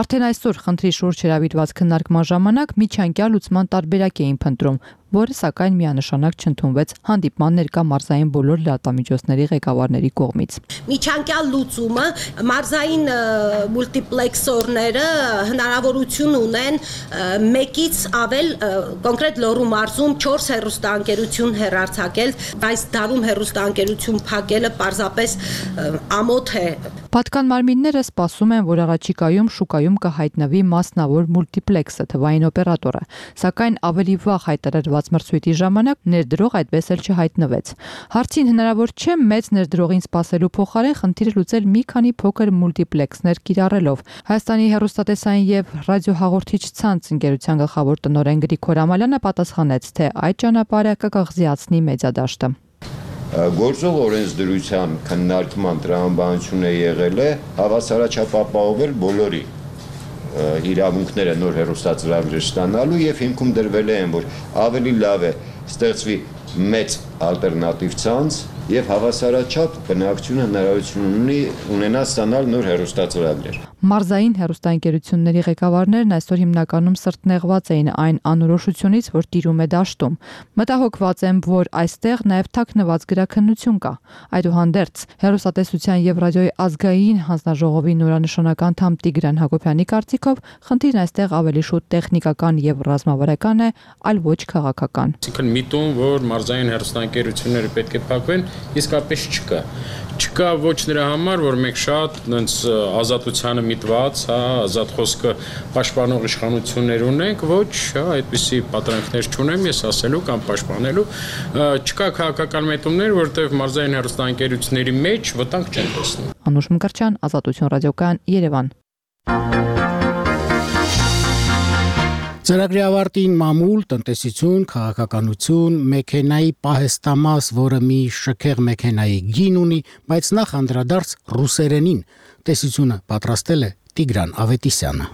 Արդեն այսօր խնդրի շուրջ հրավիրված քննարկման ժամանակ միջանկյալ լուծման տարբերակ էին փնտրում, որը սակայն միանշանակ չընդունվեց հանդիպման ներկա մարզային բոլոր լրատվամիջոցների ղեկավարների կողմից։ Միջանկյալ լուծումը մարզային մուլտիպլեքսորները հնարավորություն ունեն մեկից ավել կոնկրետ Լոռու մարզում չորս հեռուստաընկերություն հեռարձակել, այս դարում հեռուստաընկերություն փակելը պարզապես ամոթ է։ Պատկան մարմինները սպասում են, որ առաջիկայում շուկայում կհայտնվի մասնավոր մուլտիպլեքսը թվային օպերատորը, սակայն ավելի վաղ հայտարարված մրցույթի ժամանակ ներդրող այդպես էլ չհայտնվեց։ Հարցին հնարավոր չէ մեծ ներդրողին սպասելու փոխարեն խնդիրը լուծել մի քանի փոքր մուլտիպլեքսներ կիրառելով։ Հայաստանի հեռուստատեսային եւ ռադիոհաղորդիչ ցանց ընկերության գլխավոր տնօրեն Գրիգոր Ամալյանը պատասխանեց, թե այդ ճանապարհը կկղզիացնի մեծադաշտը։ Գործող օրենսդրության քննարկման տրամաբանությունը եղել է հավասարաչափ ապահովել բոլորի իրավունքները նոր հեռուստածրագրեր ստանալու եւ հիմքում դրվել է այն, որ ավելի լավ է ստեղծվի մեծ ալտերնատիվ ցանց եւ հավասարաչափ բնակչությունը հնարավորություն ունի ունենալ ստանալ նոր հեռուստածրագրեր։ Մարզային հեռուստաընկերությունների ղեկավարներն այսօր հիմնականում սրտնեղված էին այն անորոշությունից, որ տիրում է դաշտում։ Մտահոգված են, որ այստեղ նաև թաքնված գրաքննություն կա։ Այդուհանդերձ, հեռուստատեսության եւ ռադիոյի ազգային հանձնաժողովի նորանշանական անդամ Տիգրան Հակոբյանի կարծիքով, խնդիրն այստեղ ավելի շուտ տեխնիկական եւ ռազմավարական է, այլ ոչ քաղաքական։ Այսինքն միտում, որ մարզային հեռուստաընկերությունները պետք է փակվեն, իսկապես չկա։ Չկա ոչ նրա համար, որ մենք շատ այնց ազատությանը միտված, հա, ազատ խոսքը պաշտպանող իշխանություններ ունենք, ոչ, հա, այդպիսի պատրանքներ չունեմ ես ասելու կամ պաշտպանելու, չկա քաղաքական միտումներ, որտեղ մարզային հեռուստաընկերությունների մեջ վտանգ չեն տեսնում։ Անուշ Մկրտչյան, Ազատություն ռադիոկայան, Երևան։ Ծրագրի ավարտին մամուլ, տնտեսություն, քաղաքականություն, մեքենայի պահեստամաս, որը մի շքեղ մեքենայի գին ունի, բայց նախ անդրադարձ ռուսերենին։ Տեսությունը պատրաստել է Տիգրան Ավետիսյանը։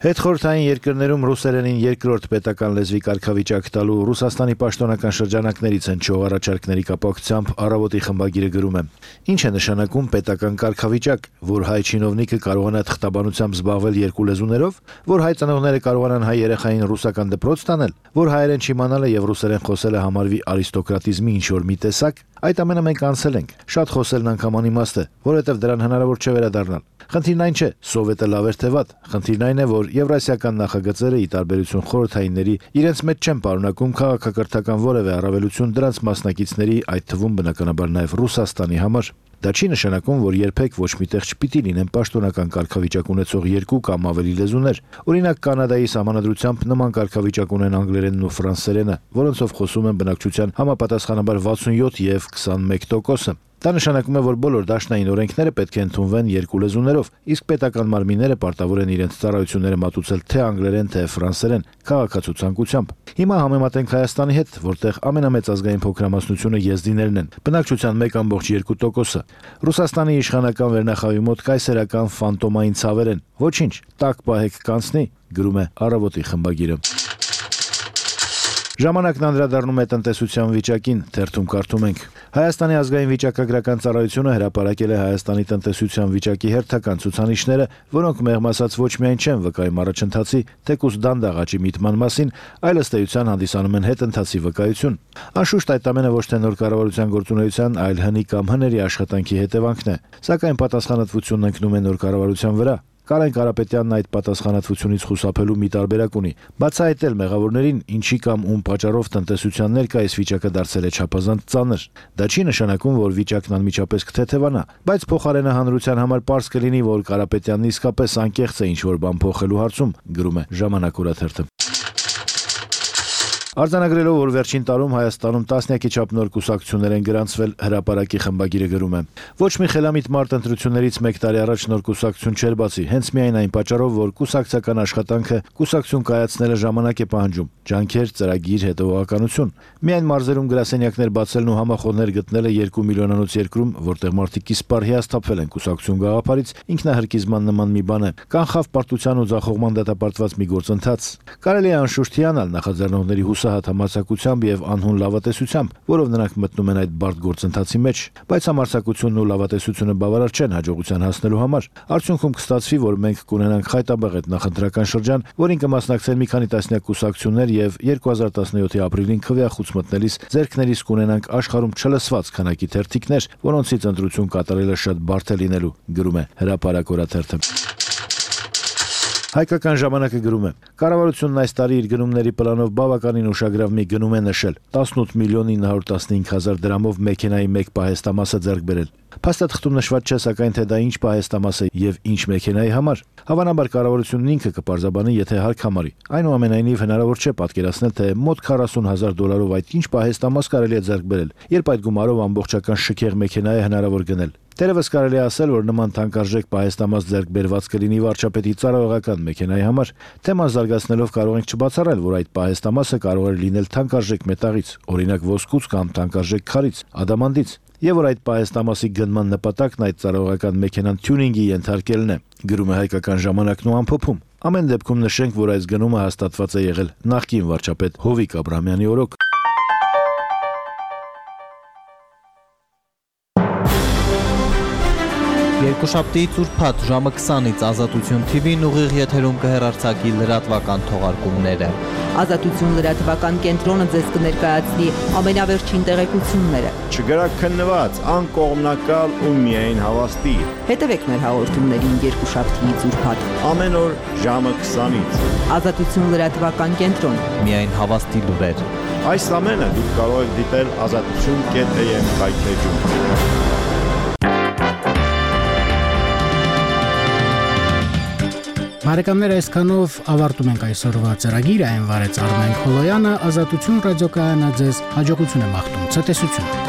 Հետխորհրդային երկրներում ռուսերենին երկրորդ պետական լեզվի կարգավիճակ տալու Ռուսաստանի պաշտոնական շրջանակներից են չող առաջարկների կապակցությամբ Առավոտի խմբագիրը գրում է. Ինչ է նշանակում պետական կարգավիճակ, որ հայ չինովնիկը կարողանա թղթաբանությամբ զբաղվել երկու լեզուներով, որ հայ ծնողները կարողանան հայ երեխային ռուսական դպրոց տանել, որ հայերեն չիմանալը եւ ռուսերեն խոսելը համարվի արիստոկրատիզմի ինչ-որ մի տեսակ, այդ ամենը մենք անցել ենք։ Շատ խոսելն անգամ անիմաստ է, որովհետեւ դրան հնարավոր չէ վերադառնալ։ Խնդիրն այն չէ, սովետը լավ էր թե վատ, խնդիրն այն է, որ եվրասիական նախագծերը ի տարբերություն խորհրդայինների իրենց մեջ չեն պարունակում քաղաքակրթական որևէ առավելություն դրանց մասնակիցների, այդ թվում բնականաբար նաև Ռուսաստանի համար։ Դա չի նշանակում, որ երբեք ոչ միտեղ չպիտի լինեն պաշտոնական կարգավիճակ ունեցող երկու կամ ավելի լեզուներ։ Օրինակ Կանադայի սահմանադրությամբ նման կարգավիճակ ունեն անգլերենն ու ֆրանսերենը, որոնցով խոսում են բնակչության համապատասխանաբար վաթսունյոթ եւ քսանմեկ տոկոսը։ Դա նշանակում է, որ բոլոր դաշնային օրենքները պետք է ընդունվեն երկու լեզուներով, իսկ պետական մարմինները պարտավոր են իրենց ծառայությունները մատուցել թե անգլերեն, թե ֆրանսերեն, քաղաքացիությամբ։ Հիմա համեմատենք Հայաստանի հետ, որտեղ ամենամեծ ազգային փոքրամասնությունը եզդիներն են, բնակչության մեկ կόμma երկու տոկոսը։ Ռուսաստանի իշխանական վերնախավի մոտ կայսերական ֆանտոմային ցավեր են։ Ոչինչ, տակ պահեք կանցնի, գրում է Առավոտի խմբագիրը։ Ժամանակն անդրադառնում է տնտեսության վիճակին, թերթում կարդում ենք. Հայաստանի ազգային վիճակագրական ծառայությունը հրապարակել է Հայաստանի տնտեսության վիճակի հերթական ցուցանիշները, որոնք մեղմ ասած ոչ միայն չեն վկայում առաջընթացի, թեկուզ դանդաղ աճի միտման մասին, այլ ըստ էության հանդիսանում են հետընթացի վկայություն։ Անշուշտ այդ ամենը ոչ թե նոր կառավարության գործունեության, այլ հնի կամ հների աշխատանքի հետևանքն է, սակայն պատասխանատվությունն ընկնում է նոր կառավարության վրա։ Կարեն Կարապետյանն այդ պատասխանատվությունից խուսափելու մի տարբերակ ունի։ Բացահայտել մեղավորներին, ինչի կամ ում պատճառով տնտեսության ներկայիս վիճակը դարձել է չափազանց ծանր։ Դա չի նշանակում, որ վիճակն անմիջապես կթեթևանա, բայց փոխարենը հանրության համար պարզ կլինի, որ Կարապետյանն իսկապես անկեղծ է ինչ-որ բան փոխելու հարցում, գրում է Ժամանակ օրաթերթը։ Արձանագրելով, որ վերջին տարում Հայաստանում տասնյակի չափ նոր կուսակցություններ են գրանցվել, հրապարակի խմբագիրը գրում է. Ոչ մի խելամիտ մարդ ընտրություններից մեկ տարի առաջ նոր կուսակցություն չէր բացի, հենց միայն այն պատճառով, որ կուսակցական աշխատանքը կուսակցություն կայացնելը ժամանակ է պահանջում, ջանքեր, ծրագիր, հետևողականություն։ Միայն մարզերում գրասենյակներ բացելն ու համախոհներ գտնելը երկու միլիոնանոց երկրում, որտեղ մարդիկ իսպար հիասթափվել են կուսակցություն գաղափարից, ինքնահրկիզման նման մի բան է, կանխավ պարտության ու ձախողման դատապարտված մի գործընթաց։ Կարելի է անշուշտ հիանալ նախաձեռնողների հուսահատ համարձակությամբ եւ անհուն լավատեսությամբ, որով նրանք մտնում են այդ բարդ գործընթացի մեջ, բայց համարձակությունն ու լավատեսությունը բավարար չեն հաջողության հասնելու համար։ Արդյունքում կստացվի, որ մենք կունենանք խայտաբղետ նախընտրական շրջան, որին կմասնակցեն մի քանի տասնյակ կուսակցություններ եւ երկու հազար տասնյոթի ապրիլին քվեախուց մտնելիս ձեռքներիս կունենանք աշխարհում չլսված քանակի թերթիկներ, որոնցից ընտրություն կատարելը շատ բարդ է լինելու, գրում է Հրապարակ օրաթերթը։ Հայկական ժամանակը գրում է. Կառավարությունն այս տարի իր գնումների պլանով բավականին ուշագրավ մի գնում է նշել՝ տասնութ միլիոն ինը հարյուր տասնհինգ հազար դրամով մեքենայի մեկ պահեստամասը ձեռք բերել։ Փաստաթղթում նշված չէ, սակայն թե դա ինչ պահեստամաս է եւ ինչ մեքենայի համար։ Հավանաբար կառավարությունն ինքը կպարզաբանի, եթե հարկ համարի։ Այնուամենայնիվ հնարավոր չէ պատկերացնել, թե մոտ քառասուն հազար դոլարով այդ ինչ պահեստամաս կարելի է ձեռք բերել, երբ այդ գումարով ամբողջական շքեղ մեքենա է հնարավոր գնել։ Տերևս կարելի է ասել, որ նման թանկարժեք պահեստամաս ձեռք բերված կլինի վարչապետի ծառայողական մեքենայի համար։ Թեման զարգացնելով կարող ենք չբացառել, որ այդ պահեստամասը կարող է լինել թանկարժեք մետաղից, օրինակ ոսկուց կամ թանկարժեք քարից, ադամանդից, եւ որ այդ պահեստամասի գնման նպատակն այդ ծառայողական մեքենան թյունինգի ենթարկելն է, գրում է Հայկական ժամանակն ու ամփոփում։ Ամեն դեպքում նշենք, որ այս գնումը հաստատված է եղել նախկին վարչապետ Հովիկ Աբրահամյանի օրոք։ Երկուշաբթի ծուրփաթ ժամը քսանից Ազատություն Թի Վին ուղիղ եթերում կհեռարձակի լրատվական թողարկումները։ Ազատություն լրատվական կենտրոնը ձեզ կներկայացնի ամենավերջին տեղեկությունները։ Չգրաքննված, անկողմնակալ ու միայն հավաստի։ Հետևեք մեր հաղորդումներին երկուշաբթի ծուրփաթ ամեն օր ժամը քսանից։ Ազատություն լրատվական կենտրոն։ Միայն հավաստի լուրեր։ Այս ամենը դուք կարող եք դիտել ազատություն կետ էյ էմ կայքեջում։ Բարեկամներ, այսքանով ավարտում ենք այսօրվա ծրագիրը, այն վարեց Արմեն Խոլոյանը, Ազատություն ռադիոկայանը ձեզ հաջողություն է մաղթում, ցտեսություն։